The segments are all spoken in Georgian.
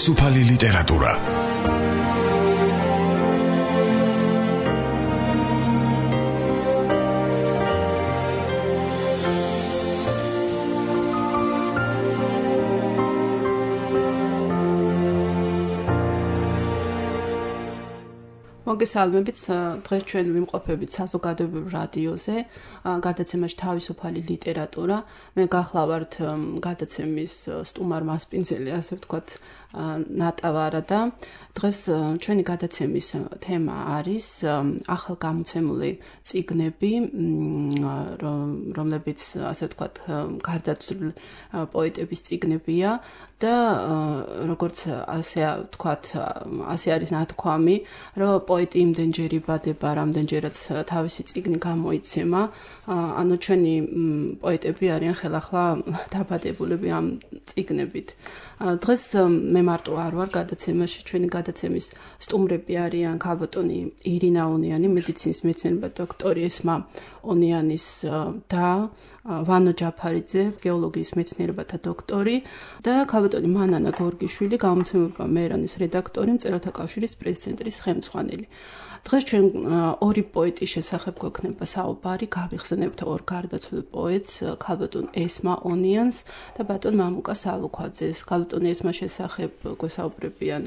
თავისუფალი ლიტერატურა. მოგესალმებით, დღეს ჩვენ ვიმყოფებით საზოგადოებრივ რადიოზე, გადაცემაში თავისუფალი ლიტერატურა. მე გახლავართ გადაცემის სტუმარ მასპინძელი, ასე ვთქვათ, ნატავარა და დღეს ჩვენი გადაცემის თემა არის ახალგამოცემული წიგნები, რომლებიც, ასე ვთქვათ, გარდაცვლილი პოეტების წიგნებია და როგორც ასე ვთქვათ, ასე არის ნათქვამი, რომ პოეტი იმდენჯერ იბადება, რამდენჯერაც თავისი წიგნი გამოიცემა, ანუ ჩვენი პოეტები არიან ხელახლა დაბადებულები ამ წიგნებით. დღეს მე მარტო არ ვარ გადაცემაში, ჩვენი გადაცემის სტუმრები არიან ქალბატონი ირინა ონიანი, მედიცინის მეცნიერება დოქტორი ესმა ონიანის და ვანო ჯაფარიძე, გეოლოგიის მეცნიერებათა დოქტორი და ქალბატონი მანანა გორგიშვილი, გამომცემლობა მერანის რედაქტორი, მწერალთა კავშირის პრეს-ცენტრის ხელმძღვანელი. დღეს ჩვენ ორი პოეტის შესახებ გვექნება საუბარი, გავიხსენებთ ორ გარდაცვლილ პოეტს, ქალბატონ ესმა ონიანს და ბატონ მამუკა სალუქვაძეს. ქალბატონ ესმა შესახებ გვესაუბრებიან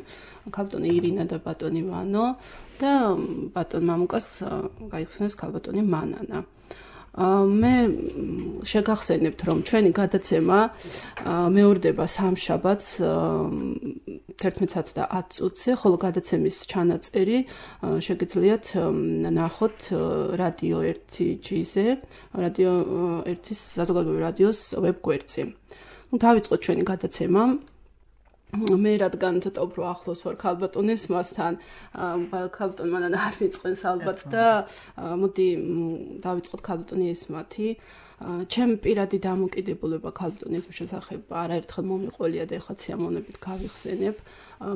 ქალბატონი ირინა და ბატონი ვანო და ბატონ მამუკას გაიხსენებს ქალბატონი მანანა. მე შეგახსენებთ, რომ ჩვენი გადაცემა მეორდება სამშაბათს 11:10 წუთზე, ხოლო გადაცემის ჩანაწერი შეგიძლიათ ნახოთ რადიო 1G-ზე, რადიო 1-ის საზოგადოებრივი რადიოს ვებგვერდზე. დავიწყოთ ჩვენი გადაცემა. მე რადგან ცოტა უფრო ახლოს ვარ ქალბატონ ესმასთან, ქალბატონ მანანა არ მიწყენს ალბათ და მოდი დავიწყოთ ქალბატონი ესმათი. ჩემი პირადი დამოკიდებულება ქალბატონ ესმის შესახებ არაერთხელ მომიყოლია და ეხლა სიამოვნებით გავიხსენებ.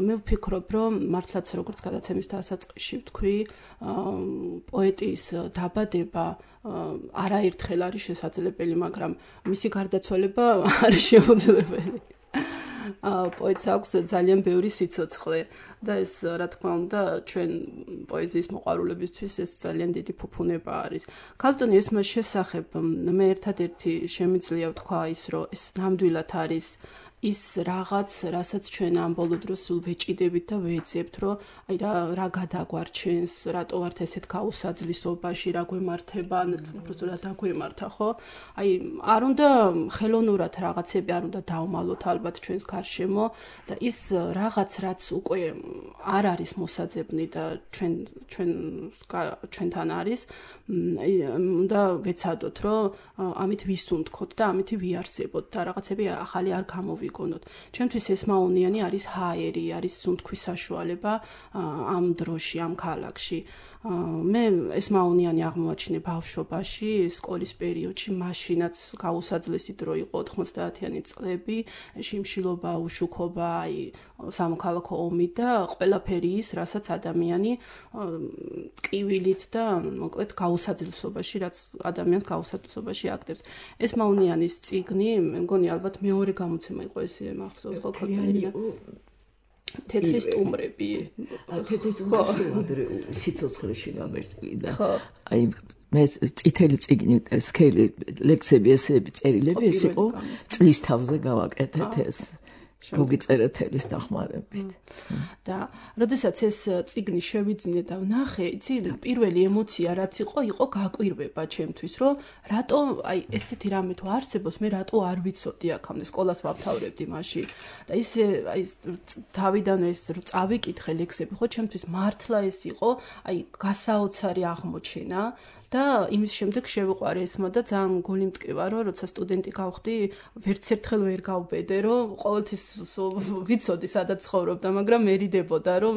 მე ვფიქრობ, რომ მართლაც როგორც გადაცემის დასაწყისში ვთქვი, პოეტის დაბადება არაერთხელ არის შესაძლებელი, მაგრამ მისი გარდაცვალება არის შეუძლებელი. პოეტს აქვს ძალიან ბევრი სიცოცხლე და ეს, რა თქმა უნდა, ჩვენ პოეზიის მოყვარულებისთვის ეს ძალიან დიდი ფუფუნება არის. ქალბატონ ესმას შესახებ მე ერთადერთი შემიძლია ვთქვა ის, რომ ეს ნამდვილად არის ის რაღაც, რასაც ჩვენ ამ ბოლო დროს სულ ვეჭიდებით და ვეძებთ, რომ აი რა გადაგვარჩენს, რატო ვართ ესეთ გაუსაძლისობაში, რა გვემართება, უბრალოდ დაგვემართა, ხო? აი არ უნდა ხელოვნურად რაღაცები არ უნდა დავმალოთ ალბათ ჩვენს გარშემო და ის რაღაც, რაც უკვე არ არის მოსაძებნი და ჩვენთან არის, უნდა ვეცადოთ, რომ ამით ვისუნთქოთ და ამით ვიარსებოთ და რაღაცები ახალი არ გამოვიგონოთ. ჩემთვის ესმა ონიანი არის ჰაერი, არის სუნთქვის საშუალება ამ დროში, ამ ქალაქში. მე ესმა ონიანი აღმოაჩინე ბავშვობაში, სკოლის პერიოდში, მაშინაც გაუსაძლესი დრო იყო 90-იანი წლები, შიმშილობა, უშუქობა, აი სამოქალაქო ომი და ყველაფერი ის, რასაც ადამიანი ტკივილით და მოკლედ გაუსაძლისობაში, რაც ადამიანს გაუსაძლისობაში აგდებს. ესმა ონიანის წიგნი, მე მგონი ალბათ მეორე გამოცემა იყო ეს მახსოვს ხო ქალბატონი? თეთრი სტუმრები. თეთრი სტუმრები სიცოცხლეში გამერწყვი და აი მე წითელი წიგნი სქელი ლექსები ესეები წერილები ეს იყო წლის თავზე გავაკეთეთ ეს მოგიწერეთ ელის დახმარებით. და როდესაც ეს წიგნი შევიძინე და ვნახე, იცი, პირველი ემოცია რაც იყო გაკვირვება ჩემთვის, რომ რატო აი ესეთი რამე თუ არსებობს, მე რატო არ ვიცოდი აქამდე სკოლას ვამთავრებდი მაშინ. და ისე აი თავიდანვე ეს წავიკითხე ლექსები, ხო, ჩემთვის მართლა ეს იყო აი გასაოცარი აღმოჩენა. და იმის შემდეგ შევიყვარე ესმა და ძალიან გული მტკივა, რომ როცა სტუდენტი გავხდი, ვერც ერთხელ ვერ გავბედე, რომ ყოველთვის ვიცოდი, სადაც ცხოვრობდა, მაგრამ მერიდებოდა, რომ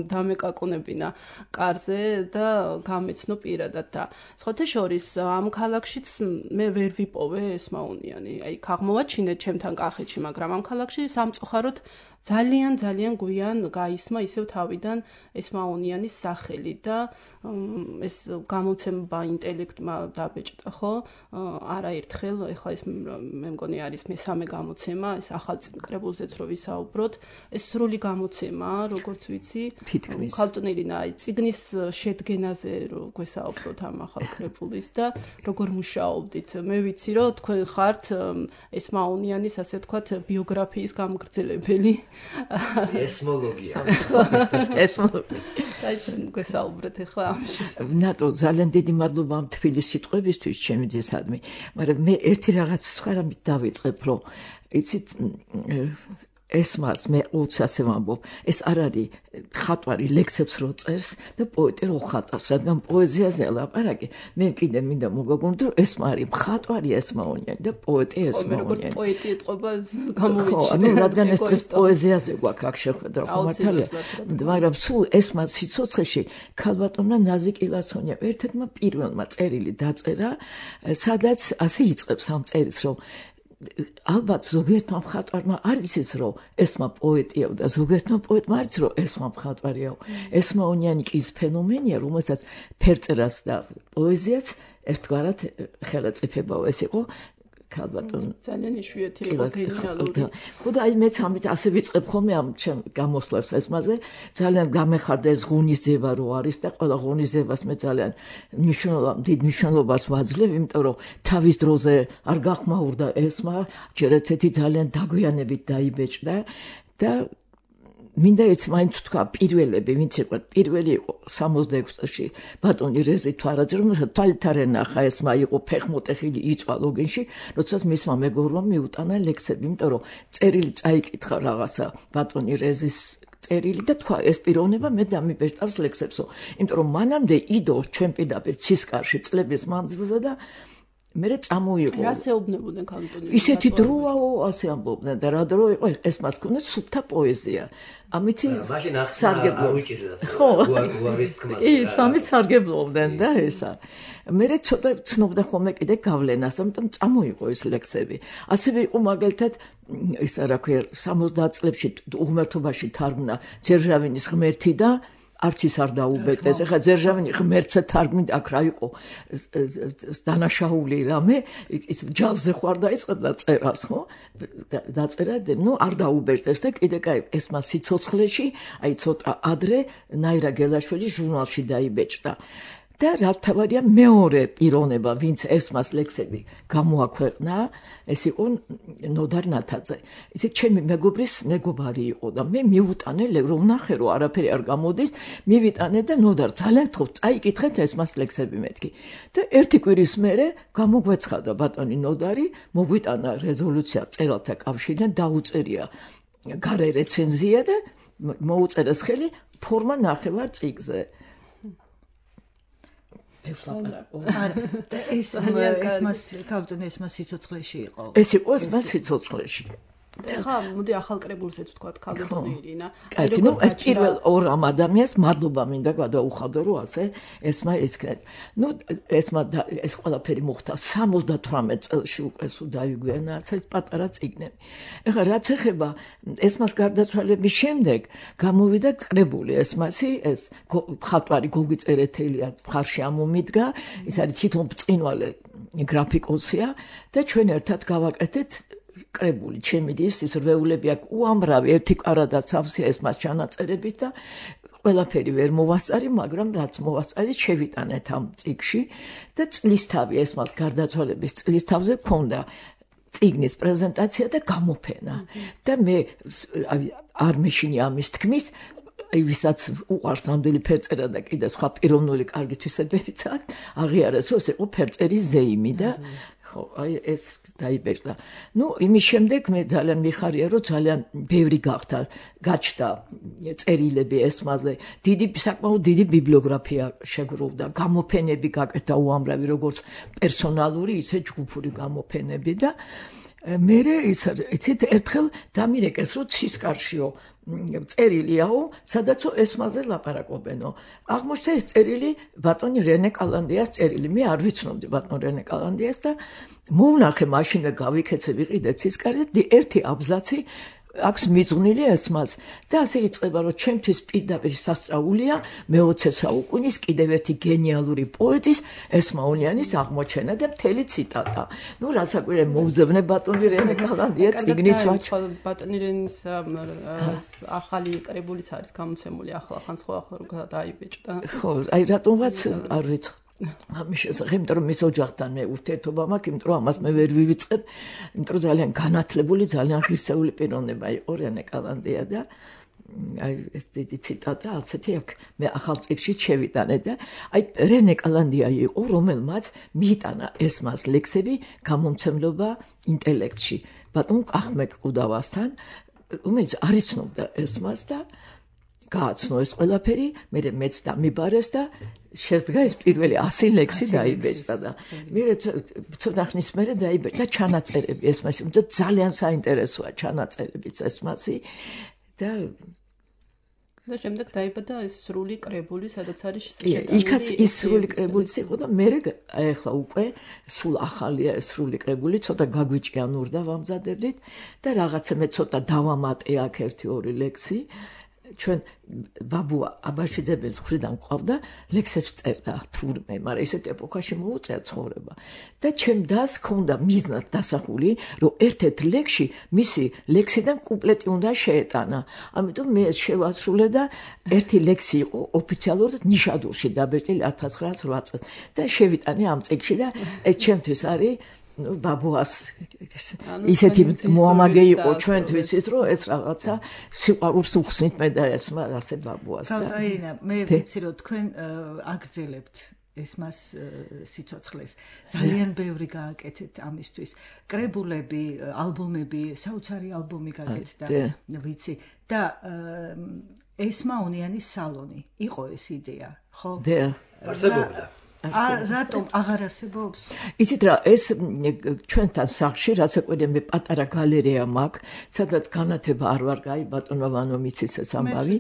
დამეკაკუნებინა კარზე და გამეცნო პირადად და სხვათა შორის ამ ქალაქშიც მე ვერ ვიპოვე ესმა ონიანი. აი, აღმოვაჩინე ჩემთან კახეთში, მაგრამ ამ ქალაქში სამწუხაროდ ძალიან გვიან გაისმა ისევ თავიდან ესმაონიანის სახელი და ეს გამოცემა ინტელექტმა დაბეჭდა ხო არაერთხელ ეხლა ეს მე მგონი არის მესამე გამოცემა ეს ახალ კრებულზეც რო ვისაუბროთ ეს სრული გამოცემაა როგორც ვიცი ქალბატონი ირინა აი წიგნის შედგენაზე რო გვესაუბროთ ამ ახალ კრებულის და როგორ მუშაობდით მე ვიცი რომ თქვენ ხართ ესმაონიანის ასე ვთქვათ ბიოგრაფიის გამგრძელებელი ესმოლოგია. აი გვესაუბრეთ ახლა ამაში. ნატო ძალიან დიდი მადლობა ამ თბილის სიტყვებისთვის ჩემი ძესადმი. მაგრამ მე ერთი რაღაც სხვა რამით დავიწყებ რომ იცით ესმას მე უცასე ვამბობ ეს არ არის ხატვარი ლექსებს რო წერს და პოეტი რო ხატავს რადგან პოეზიაზე ლაპარაკი მე კიდე მინდა მოგაგონოთ რომ ესმა არის ხატვარი ესმაონიანი და პოეტი ესმაონიანი პოეტი ეთყობა გამოვიჩინე ხო ანუ რადგან ეს დღეს პოეზიაზე გვაქვს აქ შეხვედრა ხომართალია მაგრამ სულ ესმას სიცოცხლეში ქალბატონმა ნაზი კილასონია ერთ-ერთმა პირველმა წერილი დაწერა სადაც ასე იწყებს ამ წერილს რომ ალბათ ზოგიერთმა მხატვარმა არის ის რომ ესმა პოეტია და ზოგიერთმა პოეტმა არის რომ ესმა მხატვარია ესმაონიანი კი ის ფენომენია რომელსაც ფერწერას და პოეზიას ერთგვარად ხელაწიფებაო ეს იყო ქალბატონ ძალიან იშვიათი იყო გენიალური ხო და აი მეც ამით ასე ვიწყებ ხოლმე ამ ჩემ გამოსვლებს ესმაზე ძალიან გამეხარდა ეს ღონისძიება რო არის და ყველა ღონისძიებას მე ძალიან დიდ მნიშვნელობას ვაძლევ იმიტომ რომ თავის დროზე არ გახმაურდა ესმა ჯერ ერთი ძალიან დაგვიანებით დაიბეჭდა და მინდა ეს მაინც თქვა პირველები ვინც იყო პირველი იყო 66 წელში ბატონი რეზი თვარაძე რომელსაც თვალითარ ენახა ესმა იყო ფეხმოტეხილი იწვა ლოგინში როდესაც მისმა მეგობრმა მიუტანა ლექსები იმიტომ რომ წერილი წაიკითხა რაღაცა ბატონი რეზის წერილი და თქვა ეს პიროვნება მე დამიბეჭდავს ლექსებსო იმიტომ რომ მანამდე იდო ჩვენ პირდაპირ ცისკარში წლების მანძილზე და მე წამოიღო. რა შეუბნებოდნენ ქალბატონი? ისეთი დროაო, ასე ამბობდნენ და რა დრო იყო ეს მას ქონდა სუფთა პოეზია. ამითი სარგებლობდნენ. ხო, უარის თქმა. ის ამით სარგებლობდნენ და ესა. მე ცოტა ცნობდა ხოლმე კიდე გავლენას, ამიტომ წამოიღო ეს ლექსები. ასევე იყო მაგალითად ისა რა ქვია 70 წლებში უღმერთობაში თარგმნა ძერჟავინის ღმერთი და არც ის არ დაუბეჭდეს. ეხლა ძერჟავინი ღმერთზე თარგმნით აქ რა იყო დანაშაული რამე ის ჯაზზე ხوار დაიწყებდა წერას, ხო? დაწერა, ნუ არ დაუბეჭდეს და კიდე კაი ეს მას სიცოცხლეში, აი ცოტა ადრე ნაირა გელაშვილი ჟურნალში დაიბეჭდა. და რა თავარია მეორე პიროვნება, ვინც ესმას ლექსები გამოაქვეყნა, ეს იყო ნოდარ ნათაძე. ისე ჩემი მეგობრის მეგობარი იყო და მე მივუტანე რომ ნახე რომ არაფერი არ გამოდის, მივიტანე და ნოდარ ძალიან თხოვ წაიკითხეთ ესმას ლექსები მეთქი. და ერთი კვირის მერე გამოგვეცხადა ბატონი ნოდარი, მოგვიტანა რეზოლუცია წერალთა კავშირიდან დაუწერია გარე რეცენზია და მოუწერეს ხელი ფორმა ნახევარ წიგნზე. ეს მას ქალბატონი ეს მას სიცოცხლეში იყო. ეს იყო ეს მას სიცოცხლეში. ეხლა მოდი ახალ კრებულზეც ვთქვათ ქალბატონი ირინა. კაი, ნუ ეს პირველ ორ ამ ადამიანს მადლობა მინდა გადაუხადო რომ ასე ესმა ესქრეთ. ნუ ესმა ეს ყველაფერი მოხდა 78 წელში უკვე სულ დაიგვიანა ეს პატარა წიგნები. ეხლა რაც ეხება ესმას გარდაცვალების შემდეგ გამოვიდა კრებული ესმასი ეს ხატვარი გოგი წერეთელია მხარში ამომიდგა ის არის თვითონ ბწყინვალე გრაფიკოსია და ჩვენ ერთად გავაკეთეთ კრებული ჩემი ის რვეულები აქ უამრავი ერთი კვარადა სავსეა ეს მას ჩანაწერებით და ყველაფერი ვერ მოვასწარი მაგრამ რაც მოვასწარი შევიტანეთ ამ წიგში და წლისთავი ეს მას გარდაცვალების წლისთავზე ქონდა წიგნის პრეზენტაცია და გამოფენა და მე არ მეშინი ამის თქმის ვისაც უყარს ამდელი ფერწერა და კიდე სხვა პიროვნული კარგი თვისებებიც აქვს აღიარეს რომ ეს იყო ფერწერის ზეიმი და ხო, აი ეს დაიბეჭდა. ნუ იმის შემდეგ მე ძალიან მიხარია, რომ ძალიან ბევრი გაჩნდა წერილები ესმაზე. საკმაოდ დიდი ბიბლიოგრაფია შეგროვდა, გამოფენები გაკეთდა უამრავი, როგორც პერსონალური, ისე ჯგუფური გამოფენები და მერე იცით ერთხელ დამირეკეს, რომ ცისკარშიო წერილიაო, სადაცო ესმაზე ლაპარაკობენო. აღმოჩნდა ეს წერილი ბატონი რენე კალანდიას წერილი. მე არ ვიცნობდი ბატონ რენე კალანდიას და მოვნახე მაშინვე გავიქეცე ვიყიდე ცისკარი ერთი აბზაცი აქვს მიძღვნილი ესმას და ასე იწყება რომ ჩემთვის პირდაპირ სასწაულია მე-20 საუკუნის კიდევ ერთი გენიალური პოეტის ესმაონიანის აღმოჩენა და მთელი ციტატა. ნუ რასაკვირველი მოუძებნე ბატონი რენე კალანდია წიგნიც ვაჩ. ბატონი რენის ახალი კრებულიც არის გამოცემული ახლა სხვა დაიბეჭდა. ხო, აი რატომაც არ ვიცი. ამის შესახებ, იმიტომ რომ მის ოჯახთან მე ურთიერთობა მაქვს, იმიტომ რომ ამას მე ვერ ვივიწყებ, იმიტომ რომ ძალიან განათლებული, ძალიან ღირსეული პიროვნება იყო რენე კალანდია და აი ეს დიდი ციტატა ასეთი აქვს. მე ახალ წიგნში შევიტანე და აი რენე კალანდია იყო, რომელმაც მიიტანა ესმას ლექსები გამომცემლობა ინტელექტში. ბატონ კახმეკ ყუდავასთან, რომელიც არ იცნობდა ესმას და გააცნო ეს ყველაფერი, მეც დამიბარეს და შედგა ეს პირველი 100 ლექსი დაიბეჭდა და მე ცოტა ხნის მერე დაიბეჭდა ჩანაწერები ესმასი, და ძალიან საინტერესოა ჩანაწერებიც ესმასი და შემდეგ დაიბადა ეს სრული კრებული, სადაც არის იქაც ის სრული კრებულიც იყო და მე ახლა უკვე სულ ახალია ეს სრული კრებული, ცოტა გაგვიჭიანურდა ვამზადებდით და რაღაცა მე ცოტა დავამატე აქ 1-2 ლექსი. ჩვენ ბაბუა აბაშიძეების მხრიდან ყავდა ლექსებს წერდა თურმე, მაგრამ ესეთ ეპოქაში მოუწია ცხოვრება. და ჩემ დას ჰქონდა მიზნად დასახული, რომ ერთ-ერთ ლექსში მისი ლექსიდან კუპლეტი უნდა შეეტანა. ამიტომ მე შევასრულე და ერთი ლექსი იყო ოფიციალურად ნიშადურში დაბეჭდილი 1908 წელს და შევიტანე ამ წიგნში და ეს ჩემთვის არის ბაბუას ისეთი მოამაგე იყო ჩვენთვის ის რომ ეს რაღაცა სიყვარულს უხსნით მე და ესმა ასე ბაბუას და ირინა მე ვიცი რომ თქვენ აგრძელებთ ესმას სიცოცხლეს ძალიან ბევრი გააკეთეთ ამისთვის კრებულები ალბომები საოცარი ალბომი გაკეთდა ვიცი და ესმაონიანის სალონი იყო ეს იდეა ხო არსებობდა რატომ აღარ არსებობს? იცით რა, ეს ჩვენთან სახლში რასაკვირველია მე პატარა გალერეა მაქვს, სადაც განათება არ ვარ გაი ბატონმა ვანო მიცის ეს ამბავი.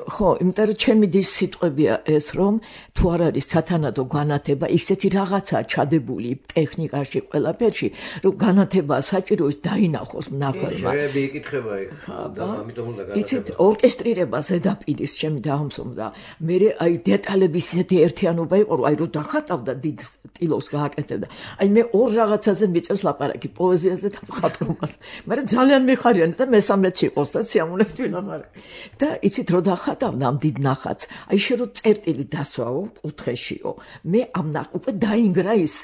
ხო, იმიტომ რომ ჩემი დის სიტყვებია ეს რომ თუ არ არის სათანადო განათება, ისეთი რაღაცაა ჩადებული ტექნიკაში, ყველაფერში, რომ განათება საჭირო ის დაინახოს მნახველმა. შეიძლება იკითხება იქ და ამიტომ უნდა განათება. იცით, ორკესტრირება ზედაპირის ჩემი დაამსომდა. მე აი დეტალების ისეთი ერთიანობა იყო რომ აი რო დახატავდა დიდ ტილოს გააკეთებდა. აი მე ორ რაღაცაზე მიწევს ლაპარაკი, პოეზიაზე და მხატვრობას. მაგრამ ძალიან მიხარიანდა და მესამეც იყოს და სიამოვნებთ ვილაპარაკი. და იცით რო დახატავდა ამ დიდ ნახატს, აი შე რო წერტილი დასვაო, კუთხეშიო. მე ამ უკვე დაინგრა ის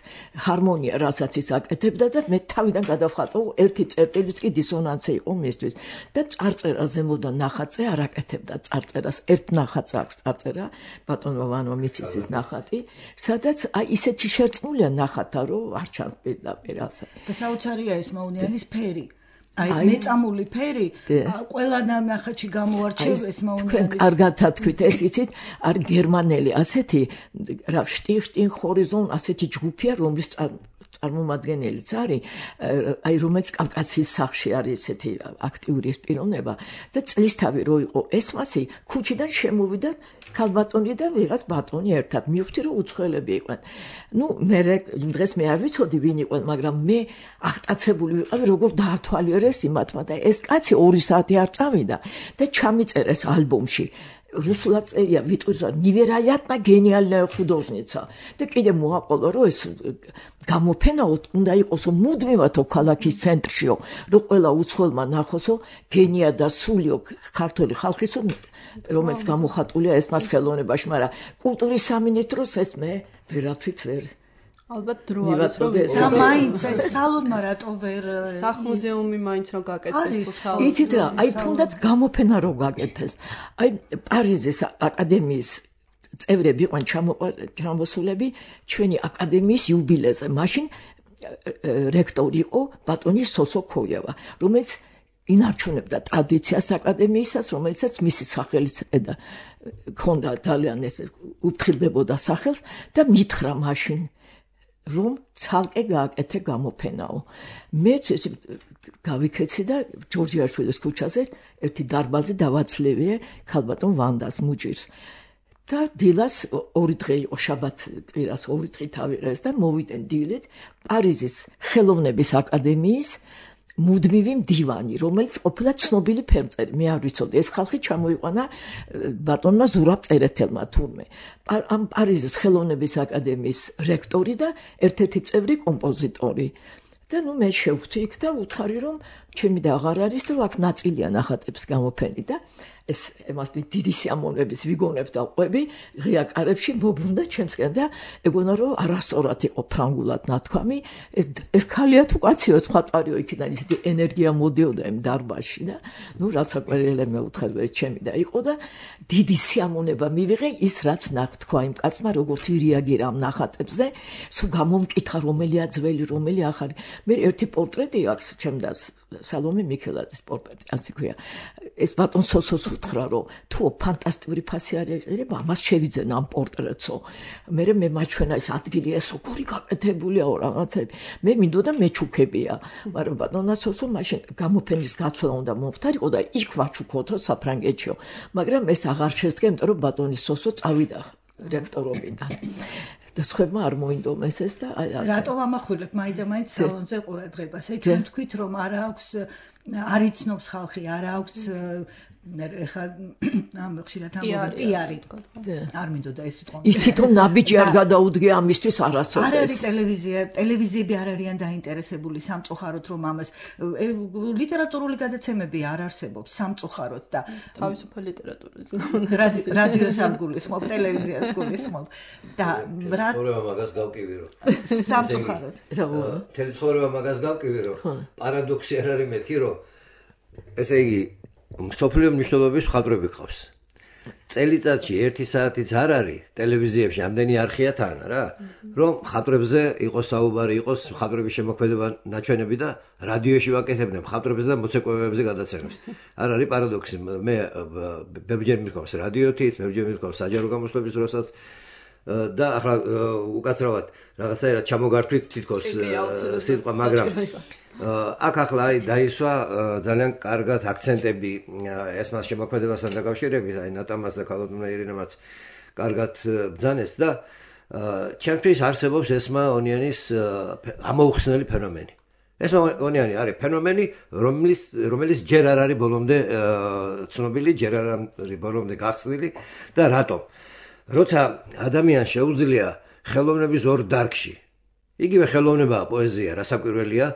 ჰარმონია, რასაც ის აკეთებდა და მე თავიდან გადავხატო ერთი წერტილის კი დისონანსი იყო მისთვის. და წარწერა ზემოდან ნახატზე არ აკეთებდა წარწერას. ერთ ნახატს აქვს წარწერა, ბატონმა ვანო მიცისის ნახატი. სადაც აი ისეთი შერწყმულია ნახათა რომ არ ჩანს პირდაპირ ასე. და საოცარია ეს მაუნიანის ფერი. აი ეს მეწამული ფერი ყველა ნახატში გამოარჩევს ეს მაუნიანის. თქვენ კარგად თქვით ეს იცით, არ გერმანელი ასეთი რა შტიხტინ ჰორიზონ ასეთი ჯგუფია რომლის წარმომადგენელიც არის, აი რომელიც კავკასიის სახლში არის ესეთი აქტიური პიროვნება და წლისთავი რო იყო ესმასი, ქუჩიდან შემოვიდა ქალბატონი და ვიღაც ბატონი ერთად. მივხვდი რომ უცხოელები იყვნენ. ნუ მე დღეს მე არ ვიცოდი ვინ იყვნენ, მაგრამ მე აღტაცებული ვიყავი როგორ დაათვალიერეს იმათმა და ეს კაცი 2 საათი არ წავიდა და ჩამიწერეს ალბომში. რუსულად წერია ვიტყვირდა ნივერაიატნა გენიალная художница და კიდე მოაყოლა რომ ეს გამოფენაო უნდა იყოსო მუდმივათო ქალაქის ცენტრშიო რომ ყველა უცხოელმა ნახოსო გენია და სულიო ქართული ხალხისო რომელიც გამოხატულია ესმას ხელოვნებაში, მაგრამ კულტურის სამინისტროს ეს მე ვერაფრით ვერ ალბათ დრო არის რომ და მაინც ეს სალონმა რატო ვერ სახლ-მუზეუმი მაინც რომ გაკეთდეს თუ სალონი. იცით რა, აი თუნდაც გამოფენა რომ გაკეთდეს. აი პარიზის აკადემიის წევრები იყვნენ ჩამოსულები ჩვენი აკადემიის იუბილეზე. მაშინ რექტორი იყო ბატონი სოსო ქოიევა, რომელიც ინარჩუნებდა ტრადიციას აკადემიისას, რომელიცაც მისი სახელიც ედა ქონდა ძალიან ეს უფრთხილდებოდა სახელს და მითხრა მაშინ რომ ცალკე გააკეთე გამოფენაო. მეც ესე გავიქეცი და ჯორჯიაშვილის ქუჩაზე ერთი დარბაზი დავაცლევიე ქალბატონ ვანდას მუჯირს. და დილას 2 დღე იყო შაბათ კვირას 2 დღე თავიღეს და მოვიდენ დილით პარიზის ხელოვნების აკადემიის მუდმივი მდივანი, რომელიც ყოფილა ცნობილი ფერმწერი. მე არ ვიცოდი, ეს ხალხი ჩამოიყვანა ბატონმა ზურაბ წერეთელმა თურმე. ამ პარიზის ხელოვნების აკადემიის რექტორი და ერთ-ერთი წევრი კომპოზიტორი. და მე შევხვდი იქ და უთხარი რომ ჩემი და აღარ არის და აქ ნაწილია ნახატებს გამოფენი და ეს ემას დიდი სიამოვნების ვიგონებ და ყვები ღია კარებში მობრუნდა ჩემსკენ და ეგონა რომ არასწორად იყო ფრანგულად ნათქვამი ეს ქალია თუ კაცია ეს ხატარიო იქიდან ის ენერგია მოდიოდა იმ დარბაზში და ნუ რასაკვირველია მე უთხარი ჩემი და იყო და დიდი სიამოვნება მივიღე ის რაც ნათქვა იმ კაცმა როგორც ირეაგირა ამ ნახატებზე სულ გამომკითხა რომელია ძველი რომელი ახალი მე ერთი პორტრეტი აქვს ჩემ და სალომე მიქელაძის პორტრეტი ასე ქვია ეს ბატონ სოსოს უთხრა რომ თუ ფანტასტიკური ფასი არ ეყირება ამას შევიძენ ამ პორტრეტსო მე მაჩვენა ეს ადგილი ეს როგორი გაკეთებულია რაღაცები მე მინდოდა მეჩუქებია მაგრამ ბატონა სოსო მაშინ გამოფენის გაცვლა უნდა მომხდარიყო და იქ ვაჩუქოთო საფრანგეთშიო მაგრამ ეს აღარ შესდგა იმიტომ რომ ბატონი სოსო წავიდა რექტორობიდან და სხვებმა არ მოინდომეს ეს და აი ასე რატო ამახვილებ მაინდა-მაინც სალონზე ყურადღებას აი ჩვენ თქვით რომ არ აქვს არ იცნობს ხალხი არ აქვს ეხლა ამ ხშირად ამბობენ პიარი არ მინდოდა ეს იყო ის თვითონ ნაბიჯი არ გადაუდგე ამისთვის არასოდეს არ არის ტელევიზიები არ არიან დაინტერესებული სამწუხაროდ რომ ამას ლიტერატურული გადაცემები არ არსებობს სამწუხაროდ და თავისუფალ ლიტერატურაზე რადიოს არ გულისხმობ ტელევიზიას გულისხმობ და რა ცხოვრება მაგას გავკივირო სამწუხაროდ თელი ცხოვრება მაგას გავკივირო პარადოქსი არ არის მეთქი რომ ესე იგი მსოფლიო მნიშვნელობის მხატვრები ყავს. წელიწადში 1 საათიც არ არის ტელევიზიებში ამდენი არხია თან რა, რომ მხატვრებზე იყოს საუბარი, იყოს მხატვრების შემოქმედება ნაჩვენები და რადიოში ვაკეთებდნენ მხატვრებზე და მოცეკვავეებზე გადაცემებს. არ არის პარადოქსი, მე ბევრჯერ მიყავს რადიოთით, ბევრჯერ მიყავს საჯარო გამოსვლების დროსაც და ახლა უკაცრავად რაღაცაერად ჩამოგართვით თითქოს სიტყვა, მაგრამ აქ ახლა დაისვა ძალიან კარგად აქცენტები ესმას შემოქმედებასთან დაკავშირებით, აი ნატამას და ქალბატონმა ირინამაც კარგად ბრძანეს და ჩემთვის არსებობს ესმა ონიანის ამოუხსნელი ფენომენი. ესმა ონიანი არის ფენომენი, რომელიც ჯერ არ არის ბოლომდე ცნობილი, ჯერ არ არის ბოლომდე გახსნილი და რატომ? როცა ადამიანს შეუძლია ხელოვნების ორ დარგში, იგივე ხელოვნებაა პოეზია, რასაკვირველია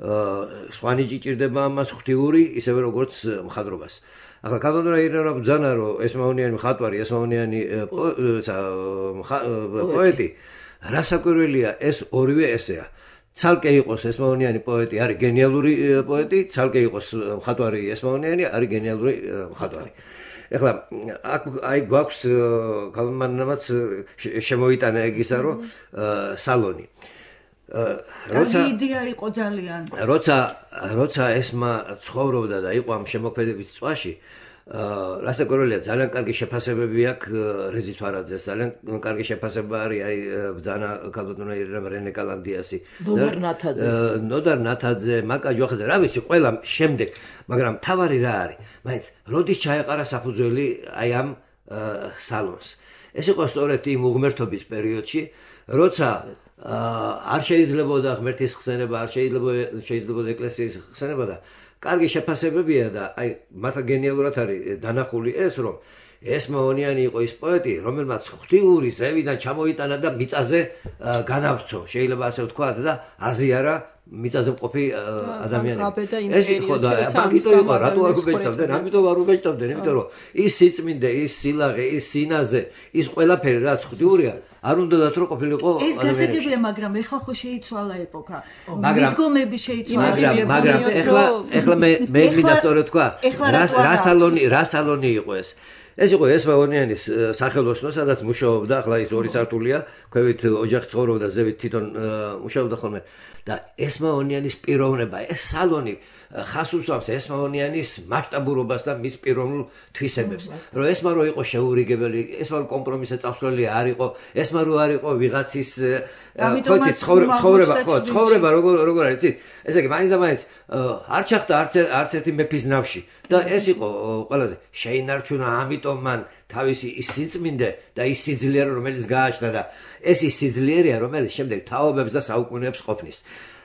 სხვანი ჭირდება ამას ღვთიური ისევე როგორც მხატვრობას. ახლა ქალბატონმა ირინა ბრძანა რომ ესმაონიანი მხატვარი, ესმაონიანი პოეტი, რასაკვირველია ეს ორივე ესეა. ცალკე იყოს ესმაონიანი პოეტი, არის გენიალური პოეტი, ცალკე იყოს მხატვარი ესმაონიანი, არის გენიალური მხატვარი. ეხლა აი გვაქვს ქალბატონმაც შემოიტანა ეგ ისა რომ სალონი როცა იდეა იყო ძალიან როცა ესმა ცხოვრობდა და იყო ამ შემოქმედებით წვაში რასაკვირველია ძალიან კარგი შეფასებები აქვს რეზი თვარაძეს ძალიან კარგი შეფასება არის აი ბძანა ქალბატონმა ირინამ რენე კალანდიასი ნოდარ ნათაძე მაკა ჯოხაძე რა ვიცი ყველა შემდეგ მაგრამ თავარი რა არის მაინც როდის ჩაეყარა საფუძველი აი ამ სალონს ეს იყო სწორედ იმ უღმერთობის პერიოდში როცა არ შეიძლებოდა ღმერთის ხსენება, არ შეიძლებოდა ეკლესიის ხსენება და კარგი შეფასებებია და აი მართლა გენიალურად არის დანახული ეს რომ ესმაონიანი იყო ის პოეტი, რომელმაც ღვთიური ზევიდან ჩამოიტანა და მიწაზე განავრცო, შეიძლება ასე ვთქვათ და აზიარა მიწაზე მყოფი ადამიანები. ეს იყო და მაგიტო იყო, რატო არ გუბეჭდებდნენ? ამიტომ არ გუბეჭდებდნენ, იმიტომ რომ ის სიწმინდე, ის სილაღე, ის სინაზე, ის ყველაფერი რაც ღვთიურია, არ უნდათ რომ ყოფილიყო ადამიანები. ეს გასაგებია, მაგრამ ეხლა ხო შეიცვალა ეპოქა. მიდგომები შეიცვალა. მაგრამ ეხლა მე მინდა სწორედ თქვა, რა სალონი იყო ეს? ეს იყო ესმაონიანის სახელოსნო, სადაც მუშაობდა, ახლა ის 2 სართულია, ქვევით ოჯახი ცხოვრობდა, ზევით თვითონ მუშაობდა ხოლმე. და ესმაონიანის პიროვნება, ეს სალონი ხას უსვამს ესმაონიანის მასშტაბურობას და მის პიროვნულ თვისებებს. რომ ესმა რო იყო შეურიგებელი, ესმა რო კომპრომისზე წავსვლელი არ იყო, ესმა რო არ იყო ვიღაცის ცხოვრება როგორ არის, იცი? ესე იგი, მაინც არ ჩახდა არც ერთი მეფის ნავში და ეს იყო ყველაზე შეინარჩუნა ამიტომ მან თავისი ის სიწმინდე და ის სიძლიერე რომელიც გააჩნდა და ეს ის სიძლიერეა რომელიც შემდეგ თაობებს და საუკუნეებს ყოფნის.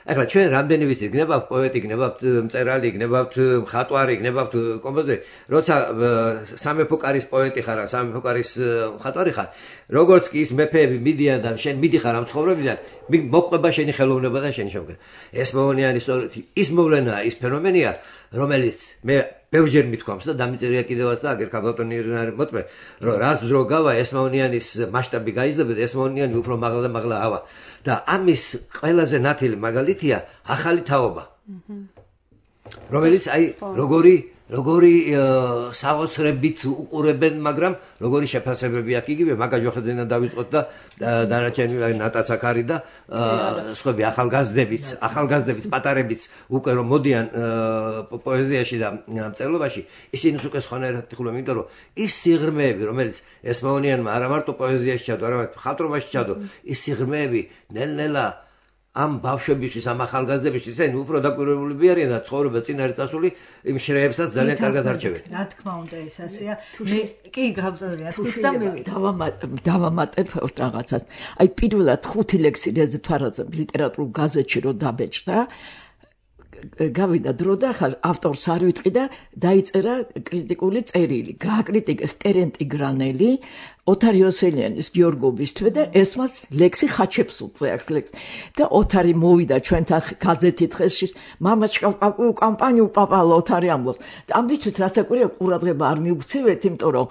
ახლა ჩვენ რამდენი ვიცით, გნებავთ პოეტი, გნებავთ მწერალი, გნებავთ მხატვარი, გნებავთ კომპოზიტორი, როცა სამეფო კარის პოეტი ხარ, სამეფო კარის მხატვარი ხარ, როგორც კი ის მეფეები მიდიან და შენ მიდიხარ ამ ცხოვრებიდან, მოყვება შენი ხელოვნება და შენი შემოგება. ეს მოონიანი სწორედ ის მოვლენაა, ის ფენომენია, რომელიც მე ბევრჯერ მithქვამს და დამიწერია კიდევაც და აგერ ქალბატონი მოტმე, რომ რაც დრო გავა ესმაონიანის მასშტაბი გაიზრდა და ესმაონიანი უფრო მაღლა და მაღლა ავა და ამის ყველაზე ნათელი მაგალითია ახალი თაობა. რომელიც აი როგორი საოცრებით უყურებენ, მაგრამ როგორი შეფასებები აქვს იგივე მაგა ჯოხეძენა დავიწყოთ და დანარჩენი ნატაცაკარი და სხვები ახალგაზრდებიც, პატარებიც უკვე რომ მოდიან პოეზიაში და მწერლობაში, ისინი უკვე სხვანაირად იხულობენ, იმიტომ რომ ის სიღრმეები, რომელიც ესმაონიანმა არა მარტო პოეზიაში ჩადო, არამედ მხატვრობაში ჩადო, ის სიღრმეები ნელ-ნელა ამ ბავშვებისთვის, ამ ახალგაზრდებისთვის, ისინი უფრო დაკვირვებულები არიან და ცხოვრება წინ არის წასული, იმ შრეებსაც ძალიან კარგად არჩევენ. რა თქმა უნდა, ეს ასეა. მე კი გავწევია თქვი და მე დავამატებ რაღაცას. აი პირველად 5 ლექსი რეზე თვარაძე ლიტერატურულ გაზეთში რო დაბეჭდა, გავიდა დრო და ხალ ავტორს არ ვიტყვი და დაიწერა კრიტიკული წერილი. გააკრიტიკეს ტერენტი გრანელი, ოთარი ოსელიანის გიორგობის თვე და ესმას ლექსი ხაჩეპსულზე აქვს ლექსი. და ოთარი მოვიდა ჩვენთან გაზეთით ხესში, მამაჩკა კამპანიუ პაპალ ოთარი ამბობს. და ამისთვის რასაკვირია ყურადღება არ მიუქცევთ, იმიტომ რომ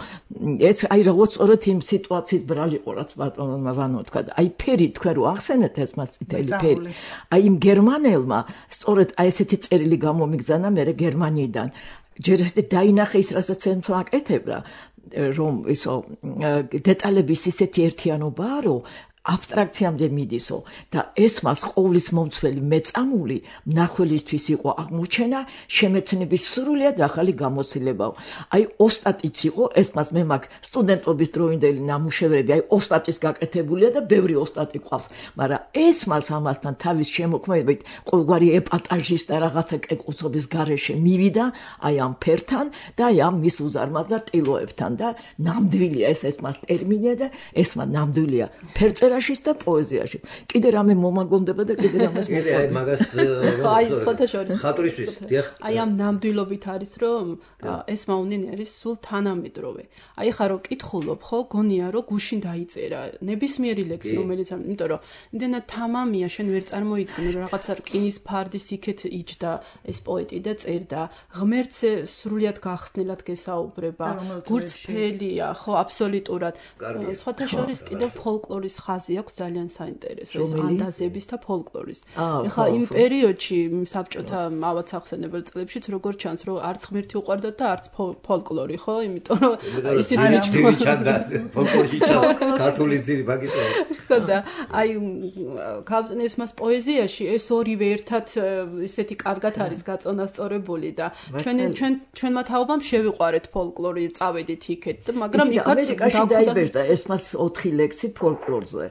ეს აი როგორც სწორედ იმ სიტუაციის ბრალი იყო, რაც ბატონმა ვანო თქვა. აი ფერი თქვენ რო ახსენეთ ესმას წითელი ფერი. აი იმ გერმანელმა სწორედ აი ესეთი წერილი გამომიგზანა მე გერმანიიდან. ჯერ ეს დაინახე ის რასაც ემს აკეთებდა. რომ ისო დეტალების ისეთი ერთიანობაა, რომ აბსტრაქციამდე მიდისო და ესმას ყოვლის მომცველი მეწამული მნახველისთვის იყო აღმოჩენა, შემეცნების სრულიად ახალი გამოცდილებაო. აი ოსტატიც იყო, ესმას მე მაგ სტუდენტობის დროინდელი ნამუშევრები, აი ოსტატის გაკეთებულია და ბევრი ოსტატი ყავს, მაგრამ ესმას ამასთან თავის შემოქმედებით ყოველგვარი ეპატაჟის და რაღაცა კეკუსობის გარეშე მივიდა, აი ამ ფერთან და აი ამ მის უზარმაზ და ტილოებთან და ნამდვილია ეს ესმას ტერმინია და ესმა ნამდვილია ფერწერა და პოეზიაში. კიდე რამე მომაგონდება და კიდე რამეს მოყვება. აი მაგას აი სხვათა შორის ხატვრისთვის, დიახ. აი ამ ნამდვილობით არის, რომ ესმაონიანი არის სულ თანამედროვე. აი ხა რომ კითხულობ, ხო, გონია რომ გუშინ დაიწერა ნებისმიერი ლექსი, რომელიც იმიტომ რომ იმდენად თამამია, შენ ვერ წარმოიდგინე რომ რაღაცა რკინის ფარდის იქეთ იჯდა ეს პოეტი და წერდა. ღმერთზე სრულიად გახსნილად გესაუბრება. გურცფელია, ხო, აბსოლუტურად. სხვათა შორის კიდევ ფოლკლორის ხაზი აქვს ძალიან საინტერესო ეს ანდაზების და ფოლკლორის. ეხლა იმ პერიოდში საბჭოთა ავაც ახსენებელ წლებშიც როგორც ჩანს რომ არც ღმერთი უყვარდათ და არც ფოლკლორი, ხო? იმიტომ რომ ისიც მიჩნდა ფოლკლორში ქართული ძირი მაგიტო. ხო და აი ქალბატონის მას პოეზიაში ეს ორივე ერთად ისეთი კარგად არის გაწონასწორებული და ჩვენმა თაობამ შევიყვარეთ ფოლკლორი, წავედით იქეთ, მაგრამ იქაც დაიბეჭდა ეს მას 4 ლექსი ფოლკლორზე.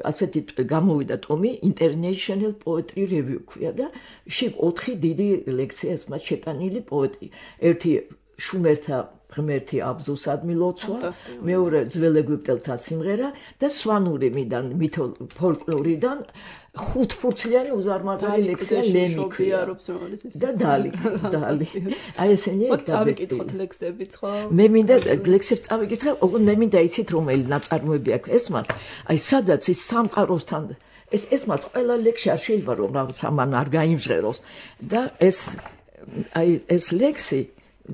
ასეთი გამოვიდა ტომი International Poetry Review ქვია და შიგ 4 დიდი ლექსია ეს მას შეტანილი პოეტი. ერთი შუმერთა ღმერთი აბზუსადმი ლოცვა, მეორე ძველ ეგვიპტელთა სიმღერა და სვანურიმიდან ფოლკლორიდან 5 ფურცლიანი უზარმაზარი ლექსია ლემიქვია და დალი. აი ესენი დავიკითხოთ ლექსებიც, ხო? მე მინდა ლექსებს წავიკითხე, ოღონდ მე მინდა იცით რომელი ნაწარმოები აქვს ესმას. აი სადაც ის სამყაროსთან ესმას ყველა ლექსი არ შეიძლება რომ სამან არ გაიმჟღეროს და ეს ლექსი